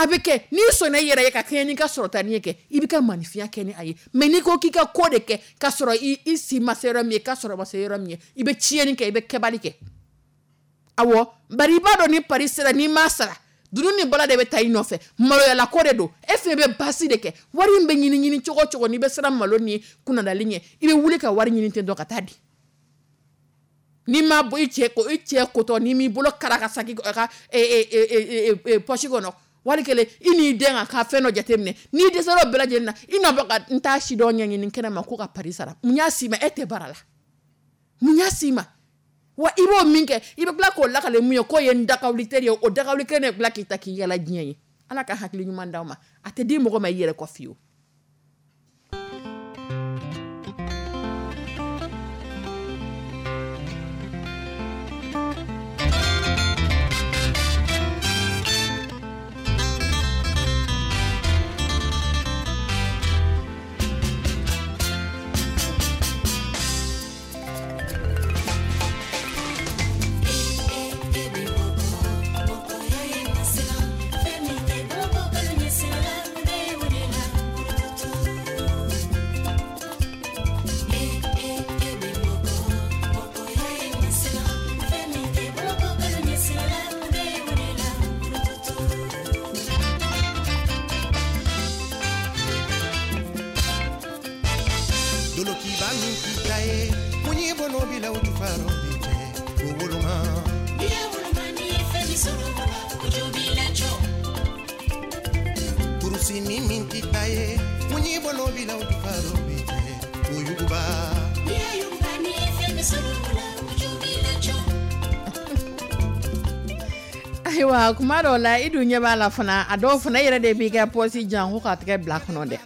a bɛ kɛ. N'i sɔnna i yɛrɛ ye ka kɛɲɛ n'i ka sɔrɔta ni ye kɛ, i bɛ ka maninfinya kɛ ni a ye. Mais n'i ko k'i ka ko de kɛ k'a sɔrɔ i si ma se yɔrɔ min ye, i ka sɔrɔ ma se yɔrɔ min ye, i bɛ tiɲɛni kɛ, i bɛ kɛbali kɛ. Awɔ, bari i b'a dɔn ni pari sera, n'i m'a sara, dunun ni bala de bɛ taa i nɔfɛ. Maloyala ko de don, e fɛnɛ bɛ baasi de kɛ. Wari in bɛ ɲini ɲini cogo o cogo, n'i bɛ siran malo ni kunnadali ɲɛ, i bɛ wuli ka wari ɲini ten dɔn ka taa di. N'i ma bɔ i cɛ ko, i cɛ kotɔ, n'i m'i bolo kara ka saki a ka poche kɔnɔ, Wali kelen i n'i den ka fɛn dɔ jateminɛ, n'i dɛsɛra o bɛɛ lajɛlen na, i na bɔ ka n t'a si dɔn ɲɛɲini kɛnɛ ma ko ka pari sara. Mun y'a s'i ma? E tɛ baara la, mun y'a s'i ma? Wa i b'o min kɛ, i bɛ tila k'o lakale mun ye k'o ye n dakawuli teri ye, o dakawuli kelen de bila k'i ta k'i yala diɲɛ ye. Ala ka hakili ɲuman d'aw ma, a tɛ di mɔgɔ ma i yɛrɛ kɔ fiyewu. Ayiwa, kuma dɔw la i dun ɲɛ b'a la fana, a dɔw fana yɛrɛ de b'i ka pɔsi jan ko k'a tɛgɛ bila kɔnɔ dɛ.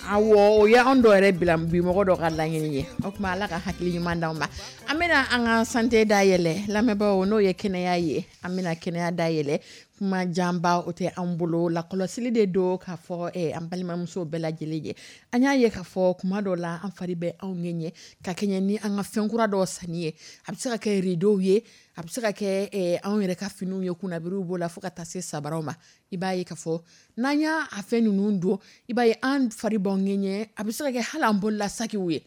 Awɔ, o ye anw dɔw yɛrɛ bila bi mɔgɔ dɔ ka laɲini ye. O tuma Ala ka hakili ɲuman d'anw ma. An bɛna an ka santé dayɛlɛ lamɛnbaaw, n'o ye kɛnɛya ye. An bɛna kɛnɛya dayɛlɛ, kuma janba o tɛ an bolo, lakɔlɔsili de don k'a fɔ an balimamuso bɛɛ lajɛlen ye. An y'a ye k'a fɔ kuma dɔw la an fari bɛ anw ŋɛɲɛ ka kɛɲɛ ni an ka fɛn kura dɔw sanni ye. A bɛ se ka kɛ rideau ye, a bɛ se ka kɛ anw yɛrɛ ka finiw ye, kunnabiriw b'o la fo ka taa se sabaraw ma. I b'a ye k'a fɔ n'an y'a fɛn ninnu don, i b'a ye an fari b'anw ŋɛɲɛ. A bɛ se ka kɛ hali an bolola sakiw ye,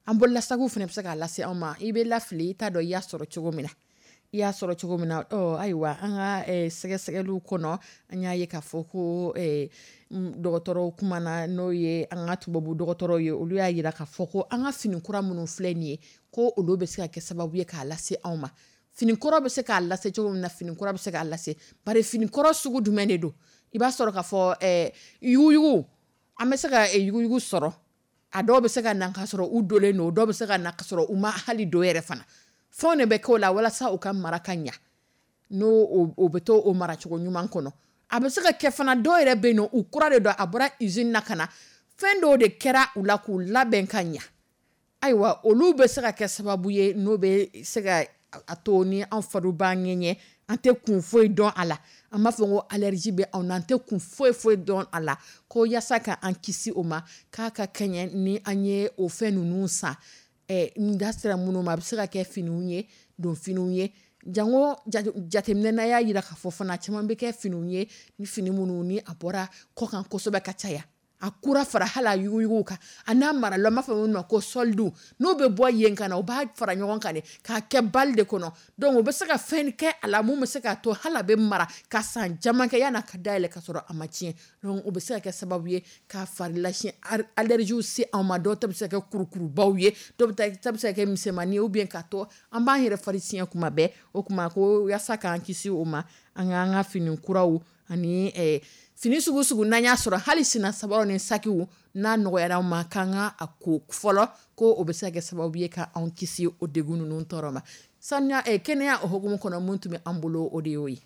an bolola sakiw fana bɛ se k'a lase anw ma. I bɛ lafili, i t'a dɔn i y'a sɔrɔ cogo min na, i y'a sɔrɔ cogo min na. Ayiwa, an ka sɛgɛsɛgɛliw kɔnɔ, an y'a ye k'a fɔ ko dɔgɔtɔrɔw kumana, n'o ye an ka tubabu dɔgɔtɔrɔw ye, olu y'a jira k'a fɔ ko an ka fini kura minnu filɛ nin ye, ko olu bɛ se ka kɛ sababu ye k'a lase anw ma. Fini kɔrɔ bɛ se k'a lase cogo min na, fini kura bɛ se k'a lase. Bari fini kɔrɔ sugu jumɛn de don? I b'a sɔrɔ k'a fɔ yuguyugu, an bɛ se ka yuguyugu sɔrɔ. A dɔw bɛ se ka na k'a sɔrɔ u donnen don, dɔw bɛ se ka na k'a sɔrɔ u ma hali don yɛrɛ fana. Fɛnw de bɛ k'o la walasa u ka mara ka ɲa, n'o o bɛ to o maracogo ɲuman kɔnɔ. A bɛ se ka kɛ fana dɔw yɛrɛ bɛ yen nɔ, u kura de don, a bɔra usine na ka na, fɛn dɔw de kɛra u la k'u labɛn ka ɲa. Ayiwa, olu bɛ se ka kɛ sababu ye n'o bɛ se ka a to ni an fariw b'an ŋɛɲɛ, an tɛ kun foyi dɔn a la. An b'a fɔ ko allergie bɛ anw na, an tɛ kun foyi foyi dɔn a la. Ko yaasa ka an kisi o ma, k'a ka kɛɲɛ ni an ye o fɛn ninnu san. N da sera minnu ma, a bɛ se ka kɛ finiw ye, don finiw ye. Jango jateminɛ na y'a jira k'a fɔ fana caman bɛ kɛ finiw ye, ni fini minnu ni a bɔra kɔkan kosɛbɛ ka caya. A kura fara hali a yuguyugu kan, a n'a marala, an b'a fɔ minnu ma ko solde, n'o bɛ bɔ yen ka na, u b'a fara ɲɔgɔn kan de k'a kɛ bali de kɔnɔ. Donc u bɛ se ka fɛn kɛ a la mun bɛ se k'a to hali a bɛ mara ka san caman kɛ yan'a ka dayɛlɛ ka sɔrɔ a ma tiɲɛ. Donc o bɛ se ka kɛ sababu ye k'a fari lasiɲɛ allergie se anw ma. Dɔw ta bɛ se ka kɛ kurukurubaw ye, dɔw ta bɛ se ka kɛ misɛnmanin ye, ou bien k'a to an b'an yɛrɛ fari siɲɛ kuma bɛɛ. O kuma ko yaasa k'an kisi o ma, an k'an ka fini kuraw ani fini sugu sugu n'an y'a sɔrɔ, hali senna sabaraw ni sakiw, n'a nɔgɔyara an ma, k'an ka a ko fɔlɔ, ko o bɛ se ka kɛ sababu ye ka anw kisi o degun ninnu tɔɔrɔ ma. Sanuya kɛnɛya o hukumu kɔnɔ, mun tun bɛ an bolo, o de y'o ye.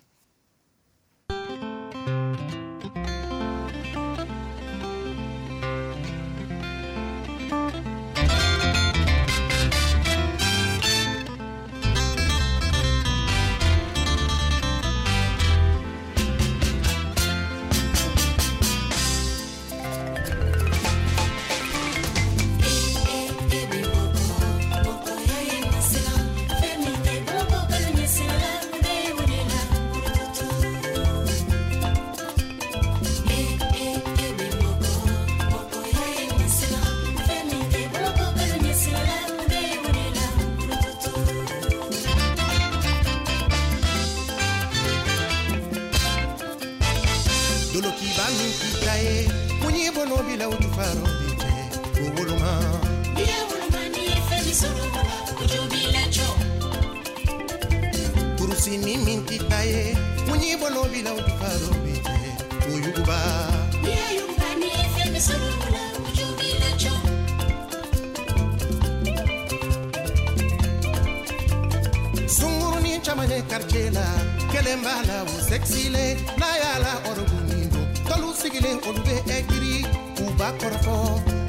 caman ye quartier la, kelen b'a la o sexy le, n'a y'a la ɔrɔbu min don, tɔlu sigilen olu bɛ ɛgiri, u b'a kɔrɔfɔ,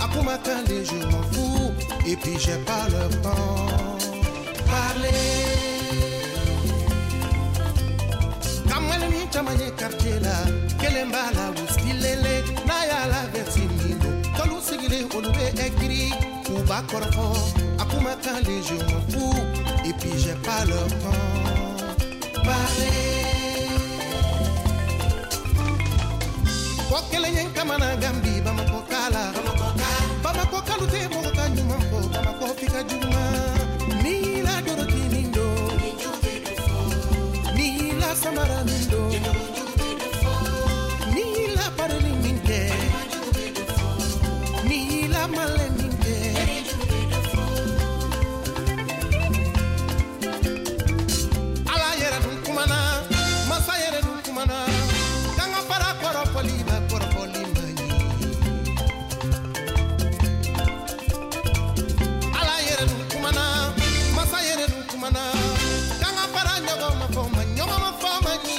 a kumakan le, je m'en fous, et puis j'ai pas le temps. Parler. Kamalen caman ye quartier la, kelen b'a la o stylele, n'a y'a la veste min don, tɔlu sigilen olu bɛ ɛgiri, u b'a kɔrɔfɔ, a kumakan le, je m'en fous, et puis j'ai pas le temps. Parler. Ko kelen ye n kamana gan bi Bamakɔ ka la, Bamakɔ kalu tɛ mɔgɔ ka ɲuman fɔ, Bamakɔ f'i ka juguman. N'i la doroki min don, n'i la samara min don, n'i la parili min kɛ, n'i la malɛ min kɛ. Ala yɛrɛ dun kumana, masa yɛrɛ dun kumana, k'an ka fara kɔrɔfɔli ma, kɔrɔfɔli man ɲi. Ala yɛrɛ dun kumana, masa yɛrɛ dun kumana, k'an ka fara ɲɔgɔn ma fɔ ma, ɲɔgɔn ma fɔ man ɲi.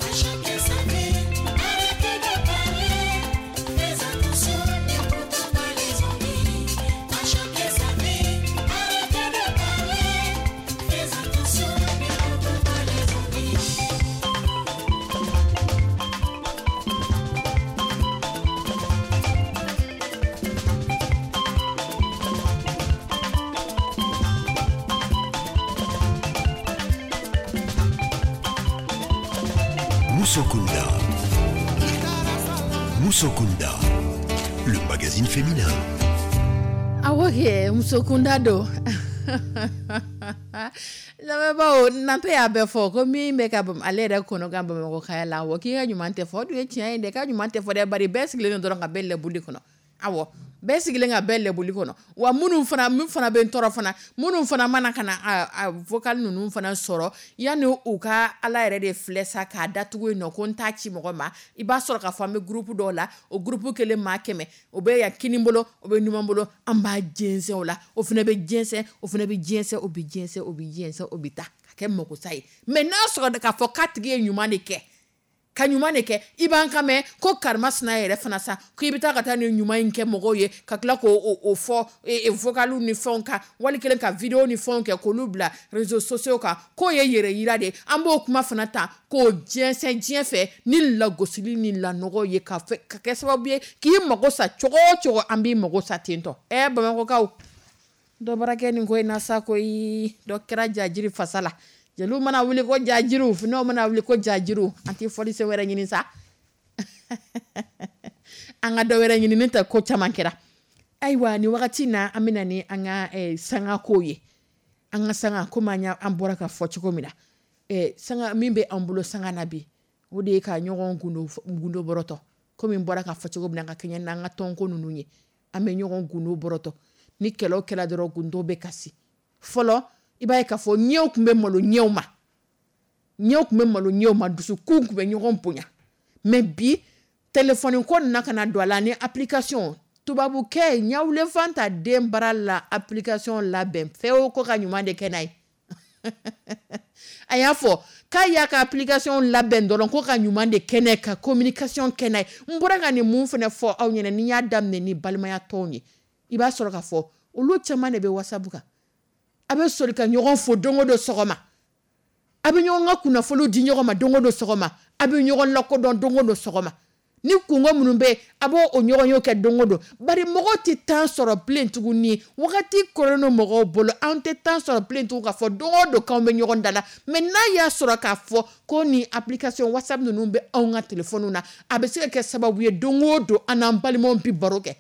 À chacun sa vie, arrêtez de parler. Fais attention, n'écoute pas les envies. À chacun sa vie, arrêtez de parler. Fais attention, n'écoute pas les envies. Moussokunda. Moussokunda, le magazine féminin. Awɔ kɛ, musokunda don. Lamɛnbaaw, Nante y'a bɛɛ fɔ ko min bɛ ka ale yɛrɛ kɔnɔ ka Bamakɔ kaya la, awɔ, k'i ka ɲuman tɛ fɔ, o dun ye tiɲɛ ye dɛ, k'a ɲuman tɛ fɔ dɛ, bari bɛɛ sigilen don dɔrɔn ka bɛɛ lɛbuli kɔnɔ. Awɔ, bɛɛ sigilen ka bɛɛ lɛbuli kɔnɔ. Wa minnu fana, min fana bɛ n tɔɔrɔ fana, minnu fana mana ka na a vocal ninnu fana sɔrɔ, yanni u ka Ala yɛrɛ de filɛ sa k'a datugu yen nɔ ko n t'a ci mɔgɔ ma, i b'a sɔrɔ k'a fɔ an bɛ groupe dɔw la, o groupe kelen maa 100, o bɛ yan kini bolo, o bɛ numan bolo, an b'a jɛnsɛn o la, o fana bɛ jɛnsɛn, o fana bɛ jɛnsɛn, o bɛ jɛnsɛn, o bɛ jɛnsɛn, o bɛ taa ka kɛ makosa ye. Mais n'a sɔrɔ k'a fɔ k'a tigi ye ɲuman de kɛ, ka ɲuman de kɛ, i b'an ka mɛn ko karima sina yɛrɛ fana sa, k'i bɛ taa ka taa nin ɲuman in kɛ mɔgɔw ye, ka tila k'o o fɔ vocaliw ni fɛnw kan, wali kelen ka video ni fɛnw kɛ k'olu bila réseaux sociaux kan, k'o ye yɛrɛ yira de ye. An b'o kuma fana ta k'o jɛnsɛn diɲɛ fɛ ni lagosili ni lanɔgɔ ye, ka kɛ sababu ye k'i mago sa cogo o cogo, an b'i mago sa ten tɔ. Bamakɔkaw, dɔ bɔra kɛ nin ko in na sa koyi, dɔ kɛra jajiri fasa la. Jeliw mana wuli ko jajiriw, funɛw mana wuli ko jajiriw, an tɛ fɔlisen wɛrɛ ɲini sa. An ka dɔ wɛrɛ ɲini, ne tɛ ko caman kɛra. Ayiwa, nin wagati na an bɛna ni an ka sanga kow ye. An ka sanga, komi an bɔra ka fɔ cogo min na, sanga min bɛ an bolo sanga na bi, o de ye ka ɲɔgɔn gundo bɔrɔtɔ. Komi n bɔra ka fɔ cogo min na, ka kɛɲɛ n'an ka tɔnko ninnu ye, an bɛ ɲɔgɔn gundo bɔrɔtɔ. Ni kɛlɛ kɛra dɔrɔn, gundo bɛ kasi. Fɔlɔ, i b'a ye k'a fɔ ɲɛw tun bɛ malo ɲɛw ma, ɲɛw tun bɛ malo ɲɛw ma, dusukun tun bɛ ɲɔgɔn bonya. Mais bi, téléphone ko nana ka na don a la ni application. Tubabukɛ ɲawulen fanta den bara la application labɛn fɛn o ko ka ɲuman de kɛ n'a ye. A y'a fɔ k'a y'a ka application labɛn dɔrɔn ko ka ɲuman de kɛ n'a ye, ka communication kɛ n'a ye. N bɔra ka nin mun fana fɔ aw ɲɛna, ni n y'a daminɛ ni balimaya tɔnw ye, i b'a sɔrɔ k'a fɔ olu caman de bɛ WhatsApp kan. A bɛ sɔrɔ ka ɲɔgɔn fo don o don sɔgɔma, a bɛ ɲɔgɔn ka kunnafoniw di ɲɔgɔn ma don o don sɔgɔma, a bɛ ɲɔgɔn lakodɔn don o don sɔgɔma. Ni kungo minnu bɛ yen, a b'o o ɲɔgɔn ye kɛ don o don. Bari mɔgɔw tɛ temps sɔrɔ bilen tuguni, wagati kɔrɔlen don mɔgɔw bolo, an tɛ temps sɔrɔ bilen tugun k'a fɔ don o don k'anw bɛ ɲɔgɔn da la. Mais n'a y'a sɔrɔ k'a fɔ ko ni application WhatsApp ninnu bɛ anw ka téléphone na, a bɛ se ka kɛ sababu ye don o don an n'an balimaw bɛ baro kɛ,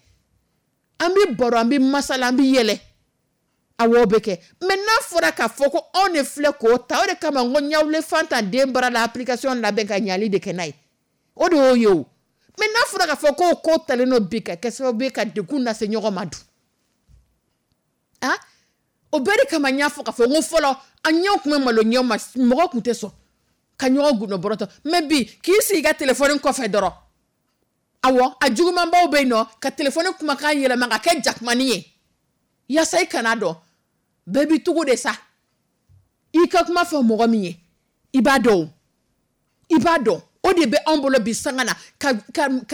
an bɛ baro, an bɛ masala, an bɛ yɛlɛ. Awɔ, bɛ kɛ. Mais n'a fɔra k'a fɔ ko anw de filɛ k'o ta, o de kama n ko ɲawule fanta den bara la application labɛn ka ɲali de kɛ n'a ye, o de y'o ye o. Mais n'a fɔra k'a fɔ k'o ko talen don bi ka kɛ sababu ye ka degun lase ɲɔgɔn ma dun, ah, o bɛɛ de kama n y'a fɔ k'a fɔ n ko fɔlɔ an ɲɛw tun bɛ malo ɲɛw ma, mɔgɔ tun tɛ sɔn ka ɲɔgɔn gundo bɔrɔtɔ. Mais bi k'i sigi i ka téléphone kɔfɛ dɔrɔn, awɔ, a jugumanbaw bɛ yen nɔ, ka téléphone kumakan yɛlɛma ka kɛ jakumani ye. Yaasa i kana dɔn, bɛɛ b'i cogo de sa. I ka kuma fɔ mɔgɔ min ye, i b'a dɔn, i b'a dɔn. O de bɛ anw bolo bi sanga na, ka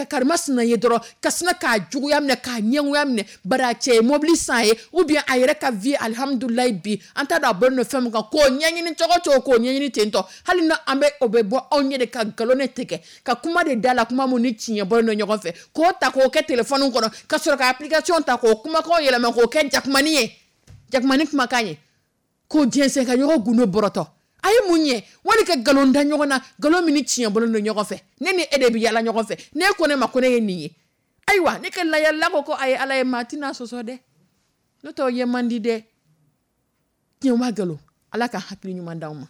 karimasina ye dɔrɔn ka sina k'a juguya minɛ, k'a ɲɛngoya minɛ. Bari a cɛ ye mobili san ye, ou bien a yɛrɛ ka vie, alihamudulilayi, bi an t'a dɔn a bɔlen don fɛn min kan, k'o ɲɛɲini cogo cogo, k'o ɲɛɲini ten tɔ. Hali na an bɛ o bɛ bɔ anw ɲɛ de ka nkalon de tigɛ, ka kuma de da la, kuma mun ni tiɲɛ bɔlen don ɲɔgɔn fɛ, k'o ta k'o kɛ telefɔni kɔnɔ, ka sɔrɔ ka application ta k'o kumakanw yɛlɛma k'o kɛ jakumani ye, jakumani kumakan ye, k'o jɛnsɛn ka ɲɔgɔn gundo bɔrɔtɔ. A ye mun ɲɛ? Wali ka nkalon da ɲɔgɔn na, nkalon min ni tiɲɛ bɔlen don ɲɔgɔn fɛ. Ne ni e de bɛ yala ɲɔgɔn fɛ, ne ko ne ma ko ne ye nin ye. Ayiwa, ne ka layalila ko a ye Ala ye, maa tɛna sɔsɔ dɛ, n'o tɛ o ye man di dɛ. Tiɲɛ wa nkalon? Ala ka hakili ɲuman d'anw ma.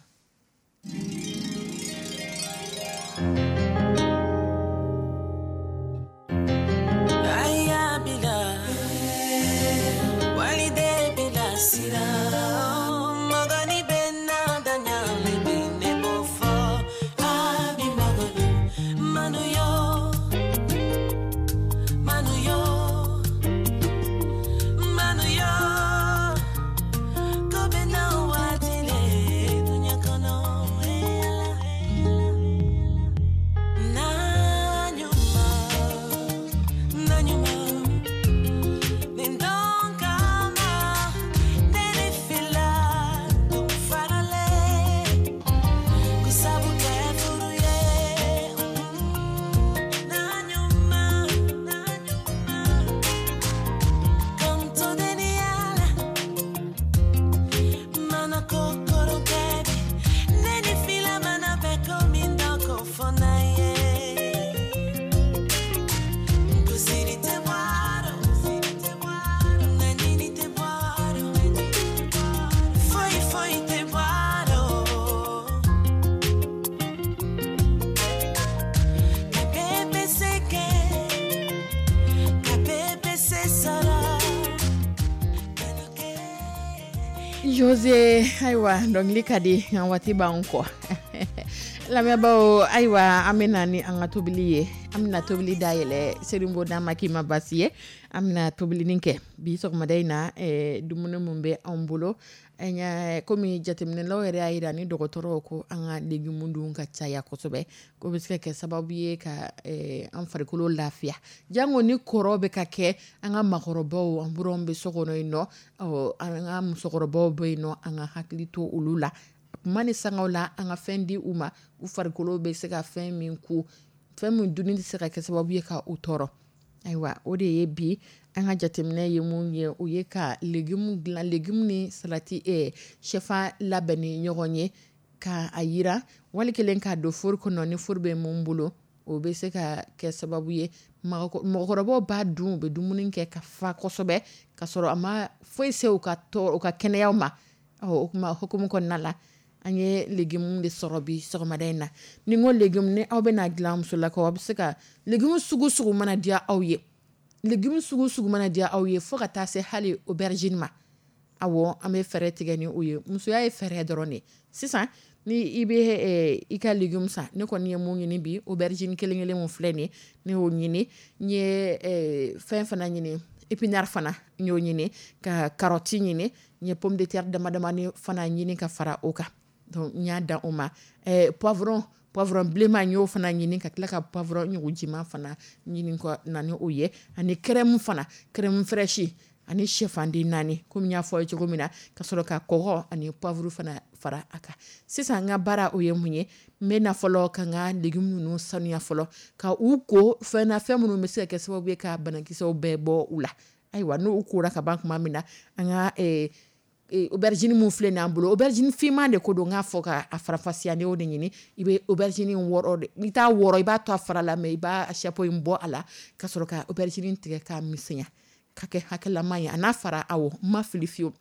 Jose, ayiwa, dɔnkili ka di, nka waati b'an kɔ. Lamɛnbaaw, ayiwa, an bɛ na ni an ka tobili ye. An bɛna tobili dayɛlɛ Selimbo, n'a ma k'i ma basi ye, an bɛna tobilinin kɛ bi sɔgɔmada in na. Dumuni min bɛ anw bolo, an y'a komi jateminɛlaw yɛrɛ y'a jira ni dɔgɔtɔrɔw ko an ka légumes dun ka caya kosɛbɛ, k'o bɛ se ka kɛ sababu ye ka an farikolo lafiya, jango ni kɔrɔ bɛ ka kɛ an ka makɔrɔbaw, an buranw bɛ so kɔnɔ yen nɔ, an ka musokɔrɔbaw bɛ yen nɔ, an ka hakili to olu la kuma ni sangaw la, an ka fɛn di u ma, u farikolo bɛ se ka fɛn min ku, fɛn min dunni tɛ se ka kɛ sababu ye ka u tɔɔrɔ. Ayiwa, o de ye bi an ka jateminɛ ye mun ye, o ye ka légume dilan, légume ni salati, shɛfan labɛn ni ɲɔgɔn ye, ka a yira wali kelen k'a don four kɔnɔ. Ni four bɛ mun bolo, o bɛ se ka kɛ sababu ye mɔgɔkɔrɔbaw b'a dun, u bɛ dumuni kɛ ka fa kosɛbɛ, ka sɔrɔ a ma foyi se u ka tɔɔrɔ, u ka kɛnɛyaw ma. O kuma hukumu kɔnɔna la, an ye légume de sɔrɔ bi sɔgɔmada in na. Ni n ko légume, ni aw bɛna dilan, musolakaw, aw bɛ se ka légume sugu sugu mana diya aw ye, légume sugu sugu mana diya aw ye, fo ka taa se hali aubergine ma. Awɔ, an bɛ fɛɛrɛ tigɛ ni o ye. Musoya ye fɛɛrɛ dɔrɔn de ye. Sisan ni i bɛ i ka légume san, ne kɔni ye mun ɲini bi, aubergine kelen kelen mun filɛ nin ye, ne y'o ɲini. N ye fɛn fana ɲini, épinard fana n y'o ɲini, ka carotte ɲini, n ye pomme de terre dama damani fana ɲini ka fara o kan. Donc n y'a dan o ma. Poivron bilenman n y'o fana ɲini, ka tila ka poivron ɲugujima fana ɲini ka na ni o ye, ani crème fana, crème fraîche, ani shɛfanden 4, komi n y'a fɔ aw ye cogo min na, ka sɔrɔ ka kɔgɔ ani poivre fana fara a kan. Sisan n ka baara o ye mun ye? N bɛ na fɔlɔ ka n ka légumes ninnu sanuya fɔlɔ, ka u ko fɛn na, fɛn minnu bɛ se ka kɛ sababu ye ka banakisɛw bɛɛ bɔ u la. Ayiwa, n'u kora ka ban tuma min na, an ka aubergine mun filɛ nin y'an bolo, aubergine finman de ko don, n k'a fɔ ka a farafasiya, ne y'o de ɲini. I bɛ aubergine wɔrɔ de, n'i t'a wɔrɔ, i b'a to a fara la, mais i b'a chapeau in bɔ a la, ka sɔrɔ ka aubergine tigɛ k'a misɛnya ka kɛ hakɛlama ye. A n'a fara, awɔ, n ma fili fiyewu,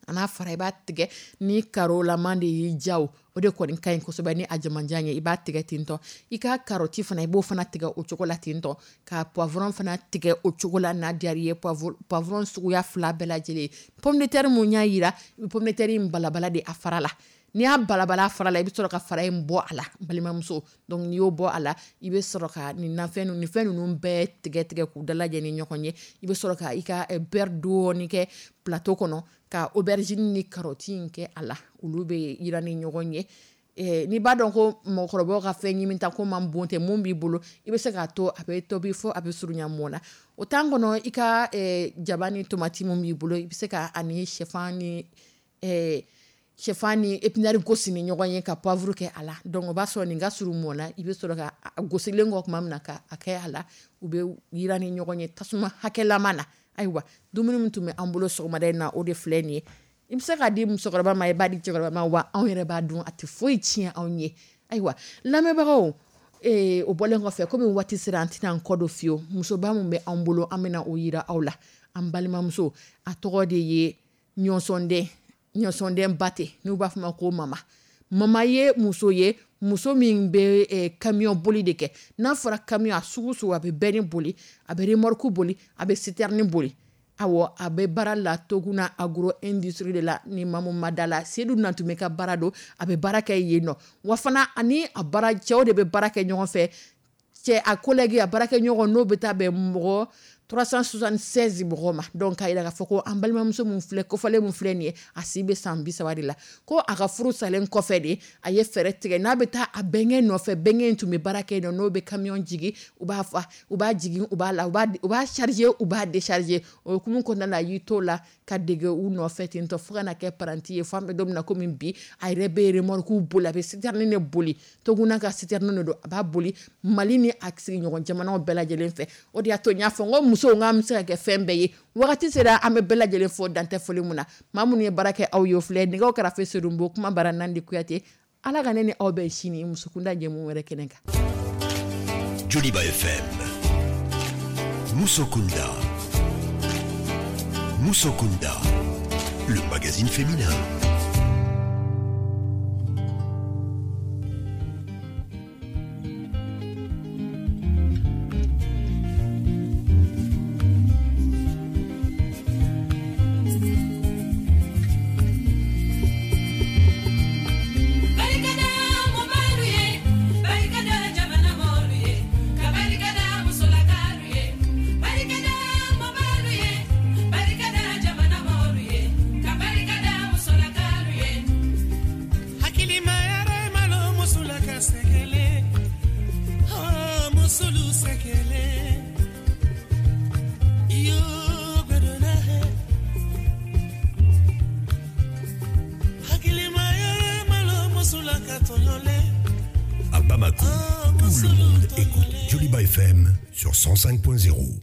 a n'a fara, i b'a tigɛ ni karolama de y'i ja, o de kɔni ka ɲi kosɛbɛ ni a jamanjan ye. I b'a tigɛ ten tɔ. I ka carotte fana, i b'o fana tigɛ o cogo la ten tɔ, ka poivron fana tigɛ o cogo la n'a diyara i ye, poivron suguya 2 bɛɛ lajɛlen. Pomme de terre mun y'a yira, pomme de terre in balabala de a fara la. N'i y'a balabala fara la, i bɛ sɔrɔ ka fara in bɔ a la, balimamuso. Donc n'i y'o bɔ a la, i bɛ sɔrɔ ka nin nafɛn ninnu, nin fɛn ninnu bɛɛ tigɛ tigɛ k'u dalajɛ ni ɲɔgɔn ye. I bɛ sɔrɔ ka i ka beurre dɔɔni kɛ plateau kɔnɔ, ka aubergine ni carotte in kɛ a la, olu bɛ yiran ni ɲɔgɔn ye. N'i b'a dɔn ko mɔgɔkɔrɔbaw ka fɛn ɲimi ta ko man bon tɛ mun b'i bolo, i bɛ se k'a to a bɛ tobi fo a bɛ surunya mɔ na. O temps kɔnɔ, i ka jaba ni tomati mun b'i bolo, i bɛ se ka ani sɛfan ni épinard gosi ni ɲɔgɔn ye, ka poivre kɛ a la. Donc o b'a sɔrɔ nin ka surun mɔ na. I bɛ sɔrɔ ka a gosilen kɔ tuma min na, ka a kɛ a la, u bɛ yiran ni ɲɔgɔn ye tasuma hakɛlama na. Ayiwa, dumuni min tun bɛ an bolo sɔgɔmada in na, o de filɛ nin ye. I bɛ se k'a di musokɔrɔba ma, i b'a di cɛkɔrɔba ma, wa anw yɛrɛ b'a dun, a tɛ foyi tiɲɛ anw ye. Ayiwa, lamɛnbagaw, o bɔlen kɔfɛ, komi waati sera, an tɛna an kɔ don fiyewu. Musoba min bɛ an bolo, an bɛna o yira aw la. An balimamuso, a tɔgɔ de ye Ɲɔsɔnden, Ɲɔsɔnden Bate, n'u b'a fɔ ma ko Mama. Mama ye muso ye, muso min bɛ camion boli de kɛ. N'a fɔra camion, a sugu sugu, a bɛ benne boli, a bɛ remorque boli, a bɛ citerne boli. Awɔ, a bɛ baara la Toguna Agro Industrie de la. Ni maa mun ma da la, Sedu Nantume ka baara don, a bɛ baara kɛ yen nɔ. Wa fana, ani a baara cɛw de bɛ baara kɛ ɲɔgɔn fɛ. Cɛ a collègue, a baarakɛ ɲɔgɔn, n'o bɛ taa bɛn mɔgɔ 376 mɔgɔ ma. Donc k'a yira k'a fɔ ko an balimamuso min filɛ kofɔlen min filɛ nin ye, a si bɛ san 30 de la. Ko a ka furu salen kɔfɛ de, a ye fɛɛrɛ tigɛ n'a bɛ taa a bɛnkɛ nɔfɛ. Bɛnkɛ in tun bɛ baara kɛ yen nɔ, n'o bɛ camion jigin, u b'a fa, u b'a jigin, u b'a la, u b'a charger, u b'a décharger. O hukumu kɔnɔna la, a y'i t'o la ka dege u nɔfɛ ten tɔ, fo ka na kɛ apprenti ye, fo an bɛ don min na komi bi, a yɛrɛ bɛ remorque boli, a bɛ citerne de boli. Toguna ka citerne de don, a b'a boli Mali ni a sigiɲɔgɔn jamanaw bɛɛ lajɛlen fɛ. O de y'a to n y'a fɔ n ko musow, k'an bɛ se ka kɛ fɛn bɛɛ ye. Wagati sera, an bɛ bɛɛ lajɛlen fo dantɛ foli mun na. Maa minnu ye baara kɛ aw ye, o filɛ nɛgɛw karafe Sedunbo, kuma bara Nandi Kuyate. Ala ka ne ni aw bɛn sini musokunda jɛmu wɛrɛ kɛnɛ kan. Joliba FM, Musokunda. Musokunda, le magazine féminin. Barikada mɔgɔlu ye, barikada jamana mɔgɔlu ye, ka barikada musolakalu ye. Barikada mɔgɔlu ye, barikada jamana mɔgɔlu ye, ka barikada musolakalu ye. Hakilima yɛrɛ malo musolaka sɛgɛlɛ, oh musolu sɛgɛlɛ. Iyo gbɛdɔnna hɛ. Hakilima yɛrɛ malo musolaka tɔɲɔlɛ. À Bamako, tout le monde écoute Joliba FM sur 105.0.